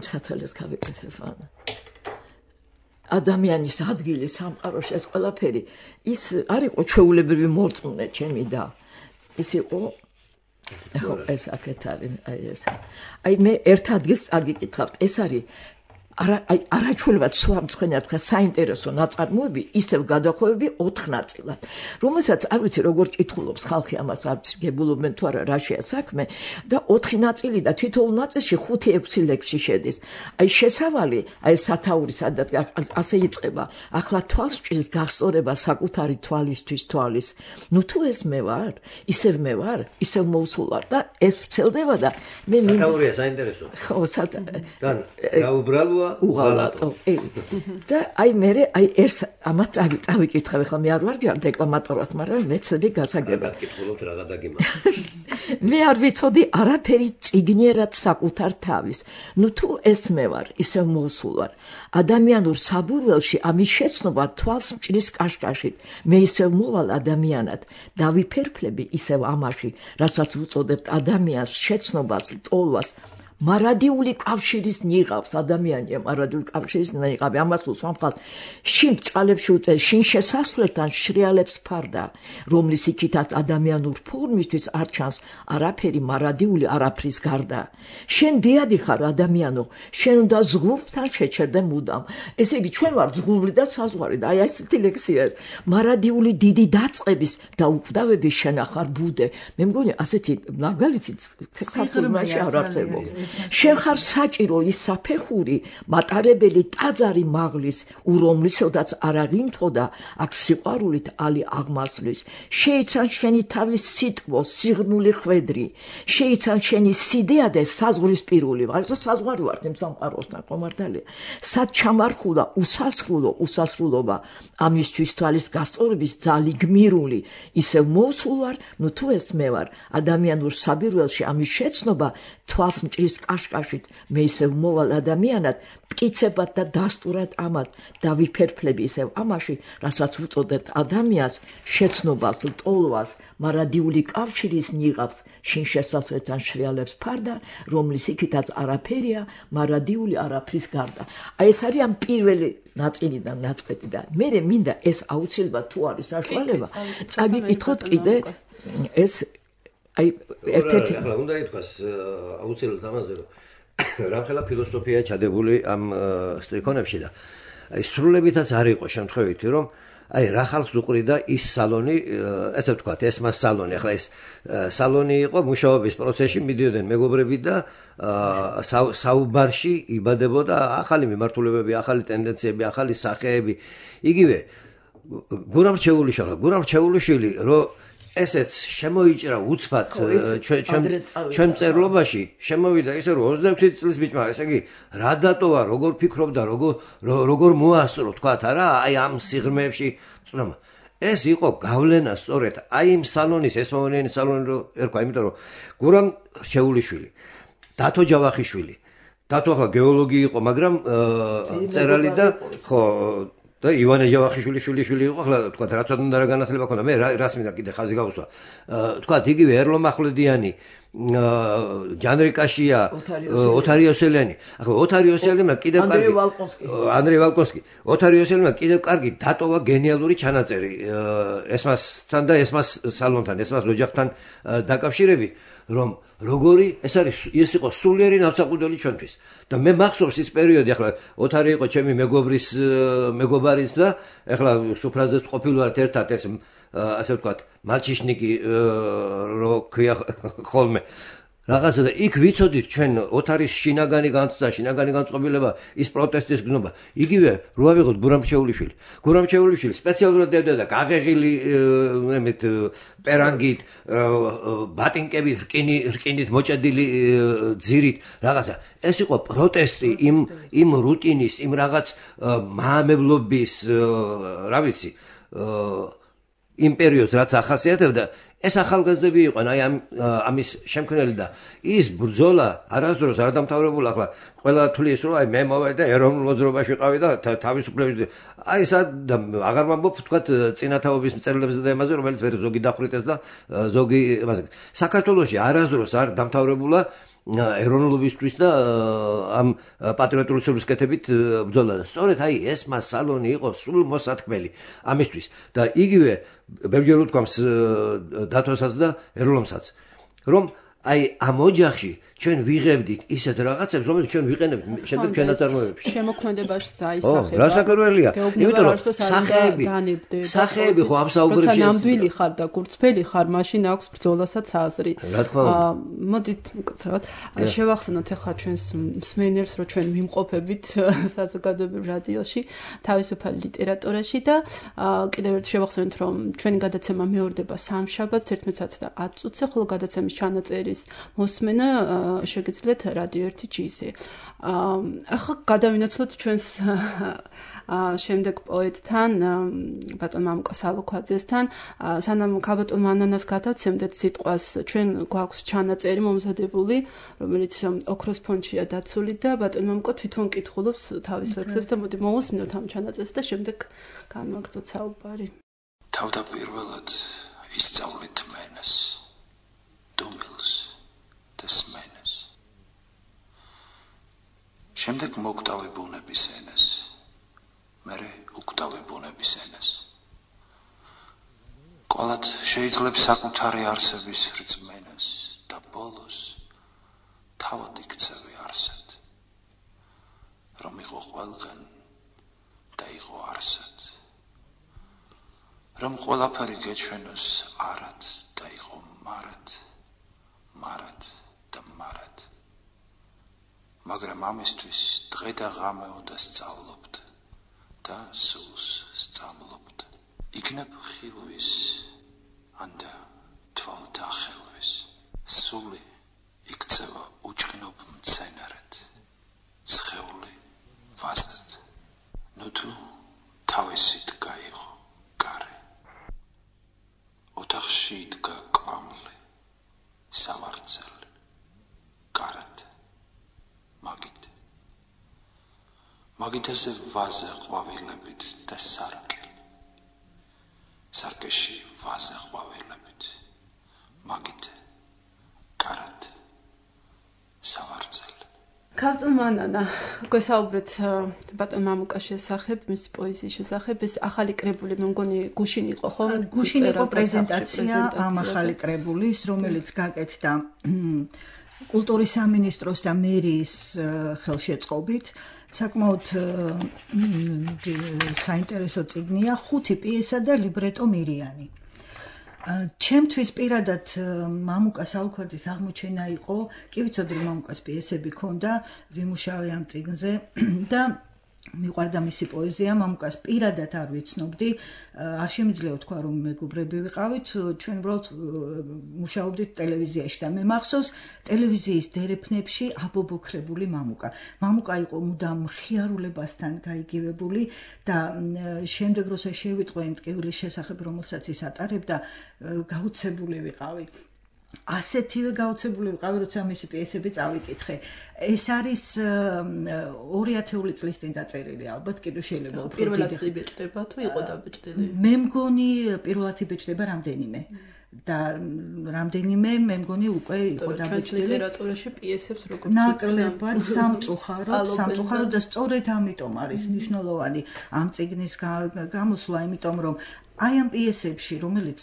სათვალეს გავიკეთებ ანა. ადამიანის ადგილი სამყაროში ეს ყველაფერი ის არ იყო ჩვეულებრივი მორწმუნე ჩემი და ის იყო ხო ეს აქეთ არის აი ეს აი მე ერთ ადგილს აგიკითხავთ ეს არის არაჩვეულებად სვამცხენია თქვა საინტერესო ნაწარმოები ისევ გადახვევები 4 ნაწილად რომელსაც არ ვიცი როგორ ჭითხულობს ხალხი ამას არ ვიცი გებულობენ თუ არა რაშია საქმე და 4 ნაწილი და თითოეულ ნაწილში 5-6 ლექსი შედის აი შესავალი აი სათაური სადაც ასე იწყება ახლა თვალს ჭრის გასწორება საკუთარი თვალისთვის თვალის ნუ თუ ეს მე ვარ ისევ მე ვარ ისევ მოვსულარ და ეს ვრცელდება და მე სათაურია საინტერესო ხო და გაუბრალო უღალატოა უღალატო. და აი მე ეს ამას წავიკითხავ ხა მე არ ვარ დეკლამატორად, მაგრამ მეცები გასაგებად. გითხულობთ რა გადაგიმა. მე არ ვიცოდი არაფერი წიგნიერად საკუთარ თავის. ნუ თუ ეს მე ვარ, ისევ მოსულ ვარ. ადამიანურ საბურველში ამის შეცნობა თვალს მჭრის კაშკაშით. მე ისევ მოვალ ადამიანად, დავიფერფლები ისევ ამაში, რასაც უწოდებთ ადამიანს შეცნობას, ტოლვას. მარადიული კავშირის ნიღავს ადამიანია მარადიული კავშირის ნიღავი ამას უსვამხალ შინ წყალებში უწევს შინ შესასვლელთან შრიალებს ფარდა რომლის იქითაც ადამიანურ ფორმისთვის არ ჩანს არაფერი მარადიული არაფრის გარდა შენ დიადი ხარ ადამიანო შენ უნდა ზღურთან შეჩერდე მუდამ ესე იგი ჩვენ ვარ ზღური და საზღვარი და აი ასეთი ლექსია ეს მარადიული დიდი დაწყების და უკვდავების შენახარ ბუდე მე მგონი ასეთი მაგალითი საქართველოში არ არსებობს შენ ხარ საჭირო ის საფეხური მატარებელი ტაძარი მაღლის ურომლისოდაც არ აღიმთო და აქ სიყვარულით ალი აღმასვლის შეიცან შენი თავის სიტყვა სიღრმული ხვედრი შეიცან შენი სიდეადე საზღვრისპირული ვარ საზღვარი ვარ იმ სამყაროსთან ხომართალია სად ჩამარხულა უსასრულობა ამისთვის თვალის გასწორების ძალი გმირული ისევ მოსულ ვარ ნუ თუ ეს მე ვარ ადამიანურ საბირველში ამის შეცნობა თვალს მჭრის კაშკაშით მე ისევ მოვალ ადამიანად მტკიცებად და დასტურად ამად დავიფერფლები ისევ ამაში რასაც უწოდებთ ადამიანს შეცნობას ტოლვას მარადიული კავშირის ნიღავს შინ შესასვლელთან შრიალებს ფარდა რომლის იქითაც არაფერია მარადიული არაფრის გარდა აი ეს არის ამ პირველი ნაწილიდან ნაწყვეტი და მე მინდა ეს აუცილებლად თუ არის საშუალება წაგიკითხოთ კიდე ეს აი ერთ-ერთი ახლა უნდა ითქვას აუცილებლად ამაზე რომ რამხელა ფილოსოფია ჩადებული ამ სტრიქონებში და აი სრულებითაც არ იყო შემთხვევითი რომ აი რა ხალხს უყრიდა ის სალონი ესე ვთქვათ ეს მას სალონი ახლა ეს სალონი იყო მუშაობის პროცესში მიდიოდნენ მეგობრები და საუბარში იბადებოდა ახალი მიმართულებები ახალი ტენდენციები ახალი სახეები იგივე გურამ რჩეულიშვილი რომ ესეც შემოიჭრა უცბად ჩვენ მწერლობაში შემოვიდა ისე რომ 26 წლის ბიჭმა ესე იგი რა დატოვა როგორ ფიქრობდა როგორ მოასწრო თქვათ არა აი ამ სიღრმეებში წნომა ეს იყო გავლენა სწორედ აი იმ სალონის ეს მომენიანი სალონი რო ერქვა იმიტომ რომ გურამ რჩეულიშვილი დათო ჯავახიშვილი დათო ახლა გეოლოგი იყო მაგრამ მწერალი და ხო და ივანე ჯავახიშვილი იყო ახლა თქვა რაც უნდა რა განათლება ქონდა მე რას მინდა კიდე ხაზი გავუსვა თქვა იგივე ერლო მახვლედიანი ჯანრიკაშია ოთარი იოსელიანი ახლა ოთარი იოსელიანმა კიდევ კარგი ანდრეი ვალკონსკი ოთარი იოსელიანმა კიდევ კარგი დატოვა გენიალური ჩანაწერი ესმასთან და ესმას სალონთან ესმას ოჯახთან დაკავშირებით რომ როგორი ეს არის ეს იყო სულიერი ნავსაყუდელი ჩვენთვის და მე მახსოვს ის პერიოდი ახლა ოთარი იყო ჩემი მეგობარის და ახლა სუფრაზეც ყოფილვართ ერთად ეს ასე ვთქვათ მალჩიშნიკი რო ქვია ხოლმე რაღაცა და იქ ვიცოდით ჩვენ ოთარის შინაგანი განწყობილება ის პროტესტის გზნობა იგივე რო ავიღოთ გურამჩეულიშვილი სპეციალურად დევდა გაღეღილი მეთ პერანგით ბატინკებით რკინით მოჭედილი ძირით რაღაცა ეს იყო პროტესტი იმ რუტინის იმ რაღაც მაამებლობის რა ვიცი იმ პერიოდს რაც ახასიათებდა ეს ახალგაზრდები იყვნენ აი ამის შემქმნელი და ის ბრძოლა არასდროს არ დამთავრებულა ახლა ყველა თვლის რომ აი მე მოვედი და ეროვნულ მოძრაობაში ვიყავი და თავისუფლების აი სად აღარ ვამბობ თქვათ წინათაობის მწერლებზე და იმაზე რომელიც ვერ ზოგი დახვრიტეს და ზოგი იმაზე საქართველოში არასდროს არ დამთავრებულა ეროვნულობისთვის და ამ პატრიოტული სულისკეთებით ბრძოლა და სწორედ აი ეს მას სალონი იყო სულ მოსათქმელი ამისთვის და იგივე ბევრჯერ უთქვამს დათოსაც და ერლომსაც რომ აი ამ ოჯახში ჩვენ ვიღებდით ისეთ რაღაცებს რომელიც ჩვენ ვიყენებთ შემდეგ ჩვენ ნაწარმოებებში შემოქმედებაში დაისახება რა საკურველია იმიტომ რომ სახეები ხო ამ საუბრებში როცა ნამდვილი ხარ და გურწფელი ხარ მაშინ აქვს ბრძოლასაც აზრი მოდით მკაცრავად შევახსენოთ ახლა ჩვენს მსმენელს რომ ჩვენ ვიმყოფებით საზოგადოებრივ რადიოში თავისუფალი ლიტერატურაში და კიდევ ერთ შევახსენოთ რომ ჩვენი გადაცემა მეორდება სამშაბათს 11:10 წუთზე ხოლო გადაცემის ჩანაწერი ერის მოსმენა შეგიძლიათ რადიო 1 G-ზე. ახლა გადავინაცვლოთ ჩვენს შემდეგ პოეტთან ბატონ მამუკა სალოქვაძესთან სანამ ქალბატონ მანანას გადავცემდეთ სიტყვას ჩვენ გვაქვს ჩანაწერი მომზადებული რომელიც ოქროს ფონდშია დაცული და ბატონ მამუკა თვითონ კითხულობს თავის ლექსებს და მოდი მოვუსმინოთ ამ ჩანაწერს და შემდეგ განვაგრძოთ საუბარი. თავდაპირველად ისწავლით მენას დუმილს და სმენას შემდეგ მოგდავი ბუნების ენას მერე უკვდავი ბუნების ენას ყოველად შეიძლება საკუთარი არსების რწმენას და ბოლოს თავად იქცევი არსად რომ იყო ყველგან და იყო არსად რომ ყველაფერი გეჩვენოს არად და იყო მარად მარად და მარად მაგრამ ამისთვის დღე და ღამე უნდა სწავლობთ და სულს სწავლობთ იქნებ ხილვის ანდა თვალთა ხელვის სული იქცევა უჩქნობ მცენარედ სხეული ვაზად ნუ თუ თავისით გაიღო კარი ოთახში იდგა კვამლი სავარძელი კარად მაგით ესე ვაზა ყვავილებით და სარკეში ვაზა ყვავილებით მაგით კარად სავარძელი ქალბატონ მანანა გვესაუბრეთ ბატონ მამუკას შესახებ მის პოეზიის შესახებ ეს ახალი კრებული მე მგონი გუშინ იყო ხო? გუშინ იყო პრეზენტაცია ამ ახალი კრებულის რომელიც გაკეთდა კულტურის სამინისტროს და მერიის ხელშეწყობით საკმაოდ საინტერესო წიგნია 5 პიესა და ლიბრეტო მირიანი. ჩემთვის პირადად მამუკა სალოქვაძის აღმოჩენა იყო, კი ვიცოდი რომ მამუკას პიესები ქონდა, ვიმუშავე ამ წიგნზე და მიყვარდა მისი პოეზია, მამუკას პირადად არ ვიცნობდი, არ შემიძლია ვთქვა რომ მეგობრები ვიყავით, ჩვენ უბრალოდ მუშაობდით ტელევიზიაში და მე მახსოვს ტელევიზიის დერეფნებში აბობოქრებული მამუკა. მამუკა იყო მუდამ მხიარულებასთან გაიგივებული და შემდეგ როცა შევიტყვე იმ ტკივილის შესახებ, რომელსაც ის ატარებდა, გაუცებული ვიყავი. ასეთივე გაუცებული ვიყავი, როცა მისი პიესები წავიკითხე. ეს არის 2000 წლის წინ დაწერილი, ალბათ კიდევ შეიძლება უფრო დიდი. პირველად იბეჭდება თუ იყო დაბეჭდილი? მე მგონი პირველად იბეჭდება რამდენიმე. და რამდენიმე მე მგონი უკვე იყო დაბეჭდილი. ლიტერატურაში პიესებს როგორც ნაკლებად სამწუხაროდ და სწორედ ამიტომ არის მნიშვნელოვანი ამ წიგნის გამოსვლა, იმიტომ რომ აი ამ პიესებში, რომელიც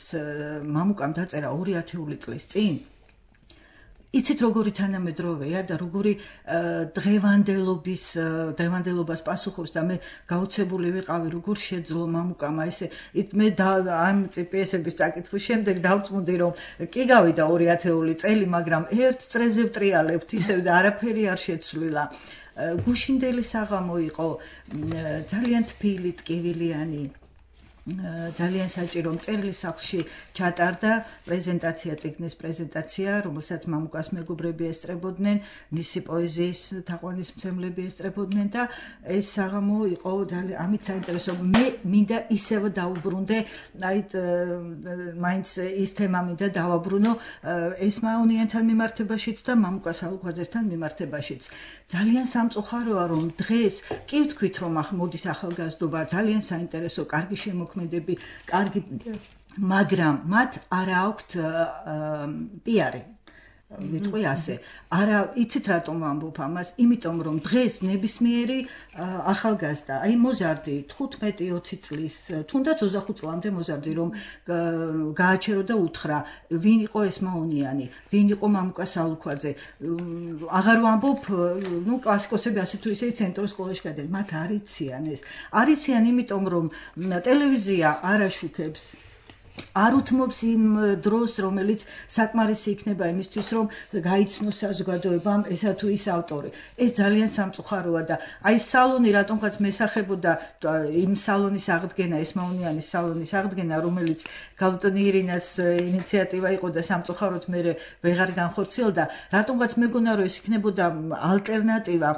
მამუკამ დაწერა 2000 წლის წინ, იცით როგორი თანამედროვეა და როგორი დღევანდელობას პასუხობს და მე გაუცებული ვიყავი, როგორ შეძლო მამუკამ ესე მე ამ პიესების წაკითხვის შემდეგ დავწმუნდი, რომ კი გავიდა 2000 წელი, მაგრამ ერთ წრეზე ვტრიალებთ ისევ და არაფერი არ შეცვლილა. გუშინდელი საღამო იყო ძალიან თბილი, ტკივილიანი. ძალიან საჭირო მწერლის სახლში ჩატარდა პრეზენტაცია, წიგნის პრეზენტაცია, რომელსაც მამუკას მეგობრები ესწრებოდნენ, მისი პოეზიის თაყვანისმცემლები ესწრებოდნენ და ეს საღამო იყო ძალიან ამით საინტერესო. მე მინდა ისევ დაუბრუნდე, აი მაინც ის თემა მინდა დავაბრუნო ესმაონიანთან მიმართებაშიც და მამუკა სალოქვაძესთან მიმართებაშიც. ძალიან სამწუხაროა რომ დღეს კი ვთქვით რომ მოდის ახალგაზრდობა, ძალიან საინტერესო, კარგი შემოქმედები, კარგი, მაგრამ მათ არ აქვთ პიარი. ვიტყვი ასე. არა, იცით რატომ ვამბობ ამას? იმიტომ რომ დღეს ნებისმიერი ახალგაზრდა, აი მოზარდი 15-20 წლის, თუნდაც 25 წლამდე მოზარდი რომ გააჩერო და უთხრა, ვინ იყო ესმაონიანი, ვინ იყო მამუკა სალოქვაძე. აღარ ვამბობ, ნუ კლასიკოსები ასე თუ ისე ცენტრალურ სკოლაში გადიან, მათ არ იციან ეს. არ იციან იმიტომ რომ ტელევიზია არ აშუქებს არ უთმობს იმ დროს, რომელიც საკმარისი იქნება იმისთვის, რომ გაიცნოს საზოგადოებამ ესა თუ ის ავტორი. ეს ძალიან სამწუხაროა და აი სალონი რატომღაც მესახებოდა იმ სალონის აღდგენა, ესმაუნიანის სალონის აღდგენა, რომელიც გალტონი ირინას ინიციატივა იყო და სამწუხაროდ მე ვეღარ განხორციელდა, რატომღაც მეგონა რომ ეს იქნებოდა ალტერნატივა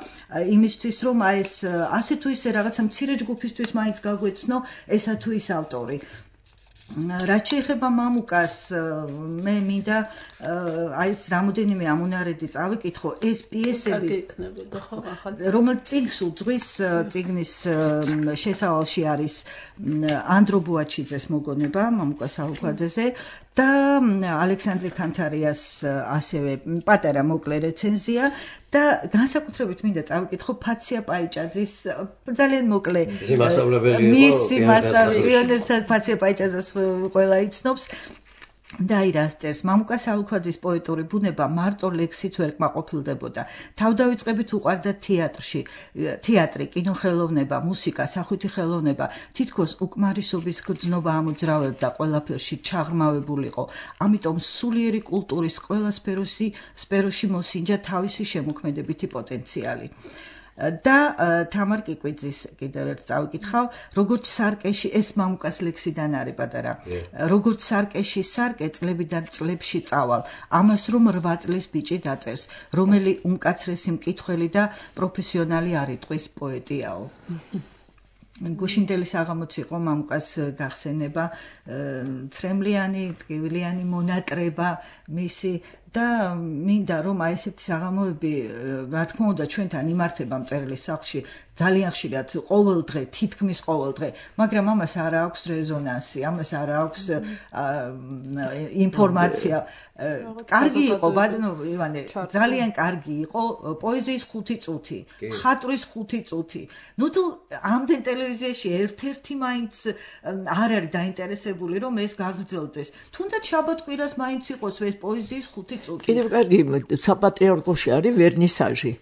იმისთვის, რომ აი ეს ასე თუ ისე რაღაცა მცირე ჯგუფისთვის მაინც გაგვეცნო ესა თუ ის ავტორი. რაც შეეხება მამუკას, მე მინდა აი ეს რამოდენიმე ამონარედი წავიკითხო, ეს პიესები, რომელიც წიგნს უძღვის, წიგნის შესავალში არის ანდრო ბუაჩიძეს მოგონება, მამუკა საუქვაძეზე და ალექსანდრე ქანთარიას ასევე პატარა მოკლე რეცენზია და განსაკუთრებით მინდა წავიკითხო ფაცია პაიჭაძის ძალიან მოკლე მისი მასწავლებლად ფაცია პაიჭაძეს ყველა იცნობს და აი რას წერს მამუკა საუქვაძის პოეტური ბუნება მარტო ლექსით ვერ კმაყოფილდებოდა თავდავიწყებით უყვარდა თეატრი კინოხელოვნება მუსიკა სახვითი ხელოვნება თითქოს უკმარისობის გრძნობა ამოძრავებდა ყველაფერში ჩაღრმავებულიყო ამიტომ სულიერი კულტურის ყველა სფეროში მოსინჯა თავისი შემოქმედებითი პოტენციალი და თამარ კიკვიძის კიდევ ერთ წავიკითხავ როგორც სარკეში ეს მამუკას ლექსიდან არის პატარა როგორც სარკეში სარკე წლებიდან წლებში წავალ ამას რომ 8 წლის ბიჭი დაწერს რომელი უმკაცრესი მკითხველი და პროფესიონალი არ იტყვის პოეტიაო გუშინდელი საღამოც იყო მამუკას გახსენება ცრემლიანი ტკივილიანი მონატრება მისი და მინდა რომ აი ესეთი საღამოები რა თქმა უნდა ჩვენთან იმართება მწერლის სახლში ძალიან ხშირად ყოველ დღე თითქმის ყოველ დღე მაგრამ ამას არ აქვს რეზონანსი ამას არ აქვს ინფორმაცია კარგი იყო ბატონო ივანე ძალიან კარგი იყო პოეზიის 5 წუთი ხატვის 5 წუთი ნუ თუ ამდენ ტელევიზიაში ერთ-ერთი მაინც არ არის დაინტერესებული რომ ეს გაგრძელდეს თუნდაც შაბათ-კვირას მაინც იყოს ეს პოეზიის 5 წუთი კიდევ კარგი საპატრიარქოში არის ვერნისაჟი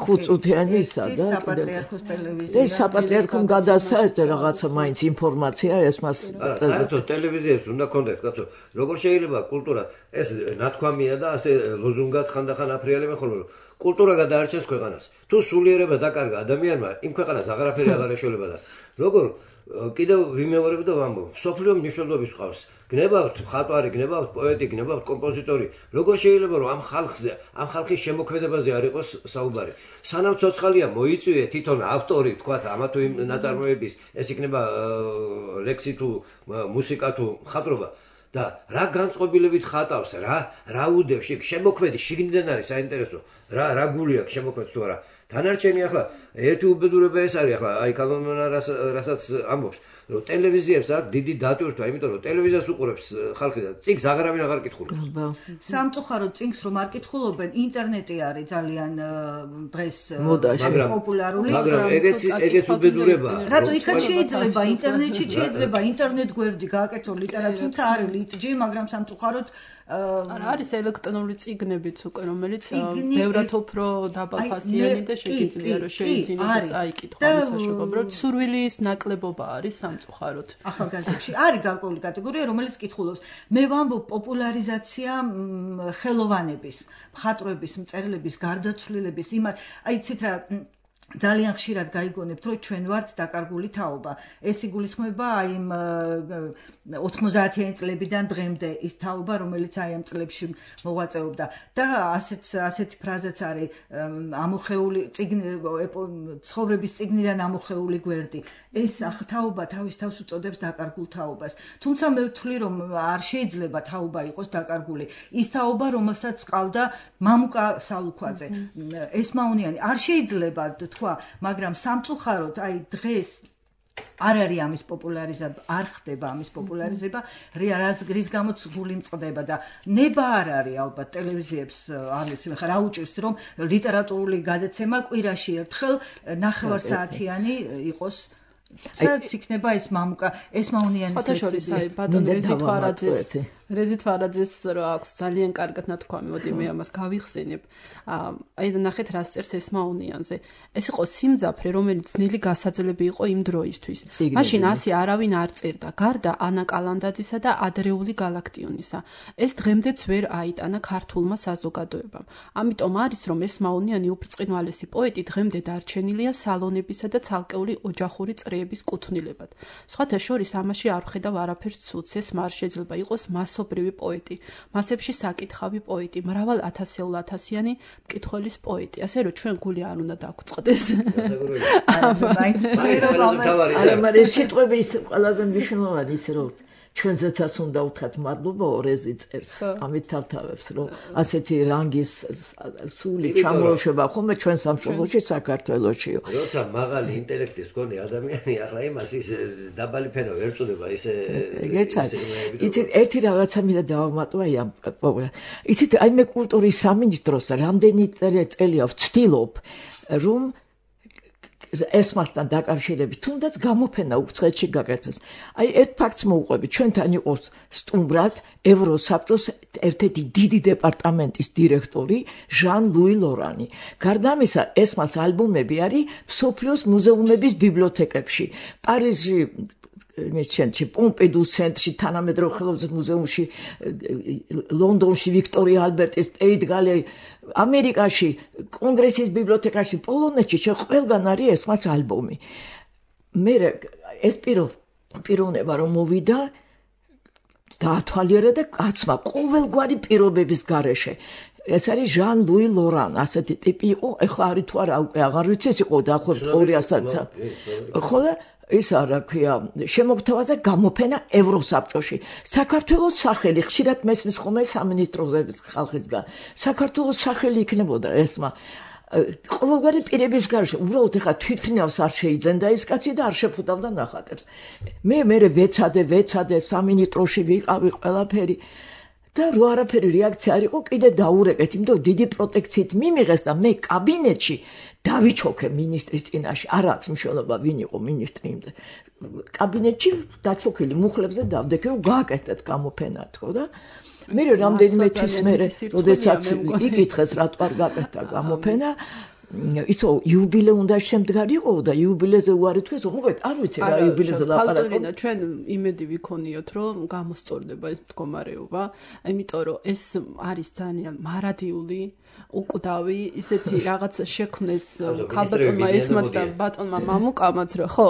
5 წუთიანი ისა და საპატრიარქოს ტელევიზია ეს საპატრიარქომ გადასაერთო რაღაცა მაინც ინფორმაცია ეს მას საერთოდ ტელევიზიებს უნდა კონდეთ კაცო როგორ შეიძლება კულტურა ეს ნათქვამია და ასე ლოზუნგად ხანდახან აფრიალებენ ხოლმე კულტურა გადაარჩენს ქვეყანას თუ სულიერება დაკარგა ადამიანმა იმ ქვეყანას აღარაფერი აღარ ეშველება და როგორ კიდევ ვიმეორებ და ვამბობ სოფლიო მნიშვნელობის ყავს გნებავთ მხატვარი გნებავთ პოეტი გნებავთ კომპოზიტორი როგორ შეიძლება რომ ამ ხალხის შემოქმედებაზე არ იყოს საუბარი სანამ ცოცხალია მოიწვიე თვითონ ავტორი თქვათ ამა თუ იმ ნაწარმოების ეს იქნება ლექსი თუ მუსიკა თუ მხატვრობა და რა განწყობილებით ხატავს რა უდევს შემოქმედი შიგნიდან არის საინტერესო რა გული აქვს შემოქმედს თუ არა დანარჩენი ახლა ერთი უბედურება ეს არის ახლა აი კანონმენა რასაც ამბობს რომ ტელევიზიებს აქვს დიდი დატვირთვა იმიტომ რომ ტელევიზიას უყურებს ხალხი და წიგნს აღარავინ აღარ კითხულობს სამწუხაროდ წიგნს რომ არ კითხულობენ ინტერნეტი არის ძალიან დღეს პოპულარული მაგრამ ეგეც უბედურება რატო იქაც შეიძლება ინტერნეტში შეიძლება ინტერნეტ გვერდი გააკეთო ლიტერატურა თუმცა არის ლიტჯი მაგრამ სამწუხაროდ არის ელექტრონული წიგნებიც უკვე რომელიც ბევრად უფრო დაბალფასიანი და შეგიძლია რომ შეიძინო და წაიკითხო ამის საშუალება რომ სურვილის ნაკლებობა არის სამწუხაროდ ახალგაზრდებში არის გარკვეული კატეგორია რომელიც კითხულობს მე ვამბობ პოპულარიზაცია ხელოვანების მხატვრების მწერლების გარდაცვლილების იმათ აი იცით რა ძალიან ხშირად გაიგონებთ რომ ჩვენ ვართ დაკარგული თაობა ეს იგულისხმება აი 90-იანი წლებიდან დღემდე ის თაობა რომელიც აი ამ წლებში მოღვაწეობდა და ასეთი ფრაზაც არის ამოხეული ცხოვრების წიგნიდან ამოხეული გვერდი ეს თაობა თავის თავს უწოდებს დაკარგულ თაობას თუმცა მე ვთვლი რომ არ შეიძლება თაობა იყოს დაკარგული ის თაობა რომელსაც ყავდა მამუკა საუქვაძე ესმაუნიანი არ შეიძლება მაგრამ სამწუხაროდ აი დღეს არ არის ამის პოპულარიზება არ ხდება ამის პოპულარიზება რის გამოც გული მწყდება და ნება არ არის ალბათ ტელევიზიებს არ ვიცი ხა რა უჭირს რომ ლიტერატურული გადაცემა კვირაში ერთხელ 9 საათიანი იყოს სადაც იქნება ეს მამუკა ესმაუნიანის ფოტოშორის აი ბატონ რიზი თვარაძის რეზით ვარაძეს რა აქვს ძალიან კარგად ნათქვამი, მოდი მე ამას გავიხსენებ. აი და ნახეთ რას წერს ესმაუნიანზე. ეს იყო სიმძაფრე, რომელიც ძნელი გასაძლები იყო იმ დროისთვის. მაშინ ასე არავინ არ წერდა, გარდა ანა კალანდაძისა და ადრეული გალაქტიონისა. ეს დღემდეც ვერ აიტანა ქართულმა საზოგადოებამ. ამიტომ არის, რომ ესმაუნიანი უბრწყინვალესი პოეტი დღემდე დარჩენილია სალონებისა და ცალკეული ოჯახური წრეების კუთვნილებად. სხვათა შორის ამაში არ ვხედავ არაფერს ცუდს, ეს არ შეიძლება იყოს მასობრივი პოეტი, მასებში საკითხავი პოეტი, მრავალ ათასიანი მკითხველის პოეტი. ასე რომ ჩვენ გული არ უნდა დაგვწყდეს. მაგრამ ეს სიტყვები ის ყველაზე მნიშვნელოვანი ის რომ ჩვენზეცაც უნდა ვთქვათ მადლობა ორეზი წერს. ამით თავთავებს რომ ასეთი რანგის სული ჩამოუშვება ხოლმე ჩვენ სამშობლოში საქართველოშიო. როცა მაღალი ინტელექტის მქონე ადამიანი ახლა იმას ის დაბალი ფენა ვერ წოდება ისე იცით ერთი რაღაცა მინდა დავამატო აი ამ იცით აი მე კულტურის სამინისტროს რამდენი წელია ვცდილობ რომ ესმასთან დაკავშირებით თუნდაც გამოფენა უცხოეთში გაკეთდეს. აი ერთ ფაქტს მოვუყვები, ჩვენთან იყოს სტუმრად ევროსაბჭოს ერთ-ერთი დიდი დეპარტამენტის დირექტორი ჟან-ლუი ლორანი. გარდა ამისა, ესმას ალბომები არის მსოფლიოს მუზეუმების ბიბლიოთეკებში. პარიზში მისცენში, პომპედუს ცენტრში, თანამედროვე ხელოვნების მუზეუმში, ლონდონში, ვიქტორია ალბერტის სტეიტ გალერეი, ამერიკაში, კონგრესის ბიბლიოთეკაში, პოლონეთში ყველგან არის ესმას ალბომი. მე ეს პიროვნება რომ მოვიდა დაათვალიერა და კაცმა ყოველგვარი პირობების გარეშე ეს არის ჟან-ლუი ლორან, ასეთი ტიპი იყო, ეხლა არის თუ არა უკვე აღარ ვიცი, ეს იყო დაახლოებით 200 ხოლო ის რა ქვია შემოგთავაზე გამოფენა ევროსაბჭოში. საქართველოს სახელი ხშირად მესმის ხოლმე სამინისტროების ხალხისგან. საქართველოს სახელი იქნებოდა ესმა. ყოველგვარი პირების გარშე უბრალოდ ეხა თვითფრინავს არ შეიძენდა ის კაცი და არ შეფუდავდა ნახატებს. მე ვეცადე სამინისტროში ვიყავი ყველაფერი. და რო არაფერი რეაქცია არ იყო, კიდე დაურეკეთ, იმიტომ დიდი პროტექციით მიმიღეს და მე კაბინეტში დავიჩოქე ministris წინაშე. არ აქვს მნიშვნელობა ვინ იყო ministri იმზე. კაბინეტში დაჩოქილი მუხლებზე დავდექე, რომ გააკეთეთ გამოფენა თქო და მე რამდენიმე თვის მერე, როდესაც იკითხეს რატო არ გააკეთა გამოფენა, ისო იუბილე უნდა შემდგარი იყო და იუბილეზე უარი თქვეს, მოგეთ არ ვიცი რა იუბილეზე ლაპარაკობ. ჩვენ იმედი ვიქონიოთ, რომ გამოსწორდება ეს მდგომარეობა, იმიტომ რომ ეს არის ძალიან მარადიული, უკვდავი, ისეთი რაღაც შექმნეს ქალბატონმა ესმაც და ბატონმა მამუკამაც, ხო?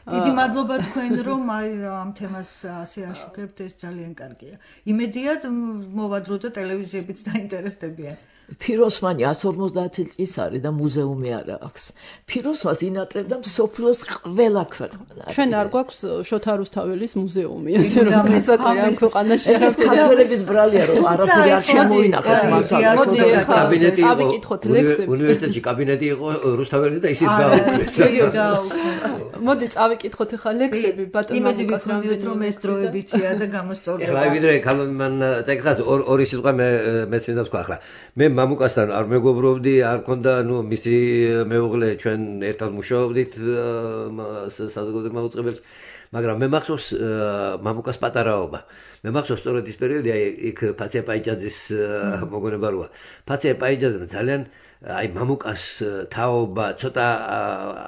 დიდი მადლობა თქვენ, რომ აი ამ თემას ასე აშუქებთ, ეს ძალიან კარგია. იმედია მოვადრო და ტელევიზიებიც დაინტერესდებიან. ფიროსმანი 150 წლის არის და მუზეუმი არ აქვს. ფიროსმას ინატრებდა მსოფლიოს ყველა ქვეყანა. ჩვენ არ გვაქვს შოთა რუსთაველის მუზეუმი, ასე რომ გასაკვირი ამ ქვეყანაში ეს ქართველების ბრალია რომ არაფერი არ შემოინახეს მასალაში. მოდი კაბინეტი ავიკითხოთ ლექსები. უნივერსიტეტში კაბინეტი იყო რუსთაველის და ისიც გააუქმეს. მოდი წავიკითხოთ ახლა ლექსები ბატონო მამუკას რამდენი რომ ეს დროებიცია და გამოსწორდება. ეხლა ვიდრე მან წეკხას ორი სიტყვა მეც მინდა თქვა ახლა. მე მამუკასთან არ მეგობრობდი, არ მქონდა, მისი მეუღლე ჩვენ ერთად მუშაობდით საზოგადოებრივ მაუწყებელს, მაგრამ მე მახსოვს მამუკას პატარაობა. მე მახსოვს სწორედ ის პერიოდი, აი იქ ფაცია პაიჭაძის მოგონება როა. ფაცია პაიჭაძემ ძალიან აი მამუკას თაობა, ცოტა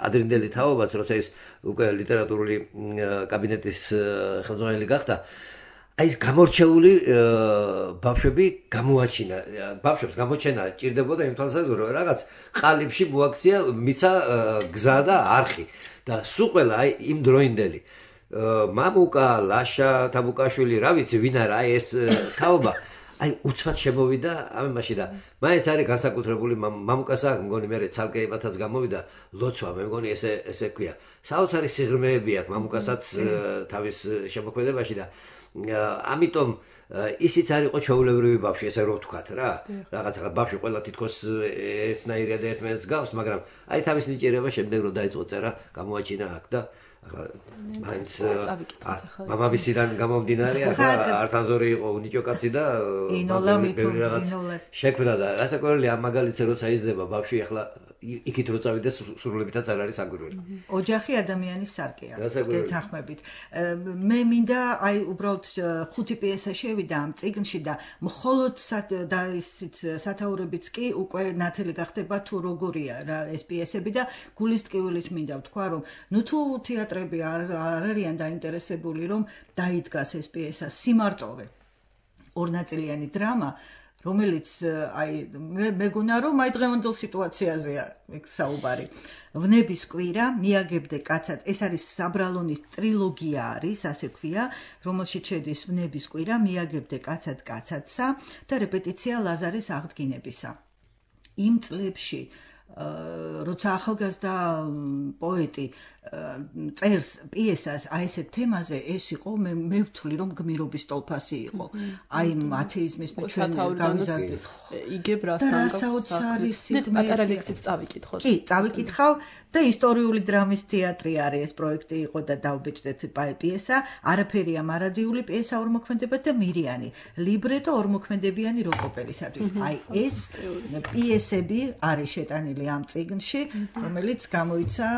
ადრინდელი თაობაც, როცა ის უკვე ლიტერატურული კაბინეტის ხელმძღვანელი გახდა, აი ეს გამორჩეული ბავშვები გამოაჩინა. ბავშვებს გამოჩენა ჭირდებოდა იმ თვალსაზრისით, რომ რაღაც ყალიბში მოაქცია მიცა გზა და არხი და სულ ყველა აი იმ დროინდელი მამუკა, ლაშა, თაბუკაშვილი, რა ვიცი, ვინ არა, აი ეს თაობა აი უცბად შემოვიდა ამაში და მაინც არის განსაკუთრებული მამუკას აქვს მგონი მე ცალკე იმათაც გამოვიდა ლოცვა, მე მგონი ესე ქვია. საოცარი სიღრმეები აქვს მამუკასაც თავის შემოქმედებაში და ამიტომ ისიც არ იყო ჩვეულებრივი ბავშვი, ესე რო ვთქვათ რა. რაღაცა ბავშვი ყველა თითქოს ერთნაირია და ერთმანეთს გავს, მაგრამ აი თავის ნიჭიერება შემდეგ რო დაიწყო წერა, გამოაჩინა აქ და ახლა მაინც მამამისიდან გამომდინარე, ახლა ართანზორი იყო უნიჭო კაცი და ინოლა მითო რაღაც შექმნა და რასაკვირველია ამ მაგალითზე როცა იზრდება ბავშვი, ახლა იქით რო წავიდეს სრულებითაც არ არის საგვირველი. ოჯახი ადამიანის სარკეა. გეთანხმებით. მე მინდა აი უბრალოდ 5 პიესა შევიდა ამ წიგნში და მხოლოდ და ისიც სათაურებიც კი უკვე ნათელი გახდება თუ როგორია რა ეს პიესები და გულის ტკივილით მინდა ვთქვა რომ ნუ თუ თეატრები არ არიან დაინტერესებული რომ დაიდგას ეს პიესა სიმარტოვე ორნაწილიანი დრამა რომელიც აი მეგონა რომ აი დღევანდელ სიტუაციაზეა ეგ საუბარი. ვნების კვირა, მიაგებდე კაცად, ეს არის საბრალონის ტრილოგია არის, ასე ქვია, რომელშიც შედის ვნების კვირა, მიაგებდე კაცად კაცადსა და რეპეტიცია ლაზარის აღდგინებისა. იმ წლებში როცა ახალგაზრდა პოეტი წერს პიესას აი ესეთ თემაზე ეს იყო მე ვთვლი რომ გმირობის ტოლფასი იყო აი ათეიზმის ჩვენ გავიზარდით იგებ რასთან გავს პატარა ლექსიც წავიკითხოთ კი წავიკითხავ და ისტორიული დრამის თეატრი არის ეს პროექტი იყო და დავბეჭდეთ პიესა არაფერია მარადიული პიესა ორმოქმედებად და მირიანი ლიბრეტო ორმოქმედებიანი როკოპერისათვის აი ეს პიესები არის შეტანილი ამ წიგნში რომელიც გამოიცა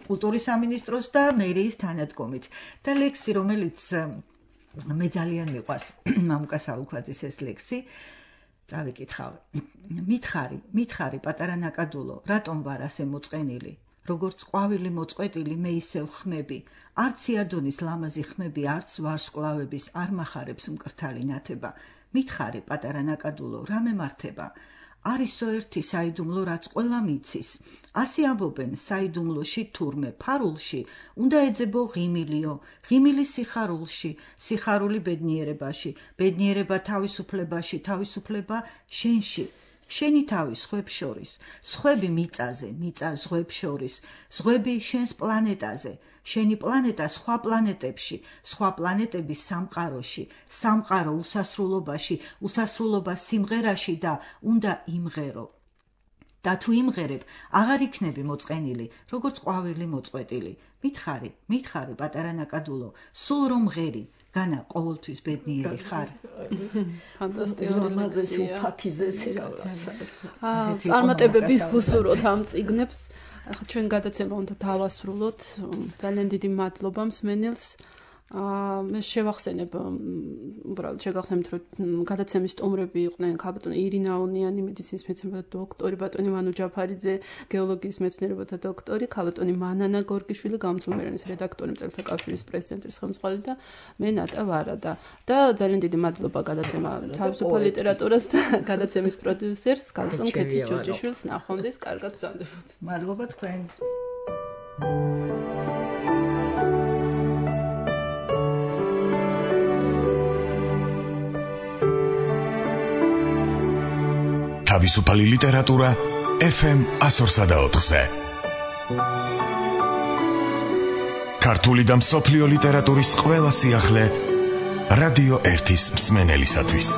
კულტურის სამინისტროს და მერიის თანადგომით და ლექსი რომელიც მე ძალიან მიყვარს მამუკა საულქვაძის ეს ლექსი წავიკითხავ მითხარი პატარა ნაკადულო რატომ ვარ ასე მოწყენილი როგორც ყვავილი მოწყვეტილი მე ისევ ხმები არც იადონის ლამაზი ხმები არც ვარსკვლავების არ მახარებს მკრთალი ნათება მითხარი პატარა ნაკადულო რა მემართება არისო ერთი საიდუმლო რაც ყველა მიცის ასე ამბობენ საიდუმლოში თურმე ფარულში უნდა ეძებო ღიმილიო ღიმილი სიხარულში სიხარული ბედნიერებაში ბედნიერება თავისუფლებაში თავისუფლება შენში შენი თავი სხვებს შორის სხვები მიწაზე მიწა სხვებს შორის სხვები შენს პლანეტაზე შენი პლანეტა სხვა პლანეტებში სხვა პლანეტების სამყაროში სამყარო უსასრულობაში უსასრულობა სიმღერაში და უნდა იმღერო და თუ იმღერებ აღარ იქნები მოწყენილი როგორც ყვავილი მოწყვეტილი მითხარი პატარა ნაკადულო სულ რომ ღერი განა ყოველთვის ბედნიერი ხარ ფანტასტიკური ფაქიზესი წარმატებები უსურვოთ ამ წიგნებს ახლა ჩვენ გადაცემა უნდა დავასრულოთ ძალიან დიდი მადლობა მსმენელს მე შევახსენებ უბრალოდ შეგახსენებთ რომ გადაცემის სტუმრები იყვნენ ქალბატონი ირინა აუნიანი მედიცინის მეცნიერებათა დოქტორი ბატონი მანუ ჯაფარიძე გეოლოგიის მეცნიერებათა დოქტორი ქალბატონი მანანა გორგიშვილი გამომცემლობის რედაქტორი მწერალთა კავშირის პრეზიდენტის ხელმძღვანელი და მე ნატა ვარადა და ძალიან დიდი მადლობა გადაცემა თავისუფალ ლიტერატურას და გადაცემის პროდიუსერს ქალბატონ ქეთი ჯოჯიშვილს ნახვამდის კარგად ბრძანდებოდ მადლობა თქვენ თავისუფალი ლიტერატურა FM 104-ზე. ქართული და მსოფლიო ლიტერატურის ყველა სიახლე რადიო 1-ის მსმენელისათვის.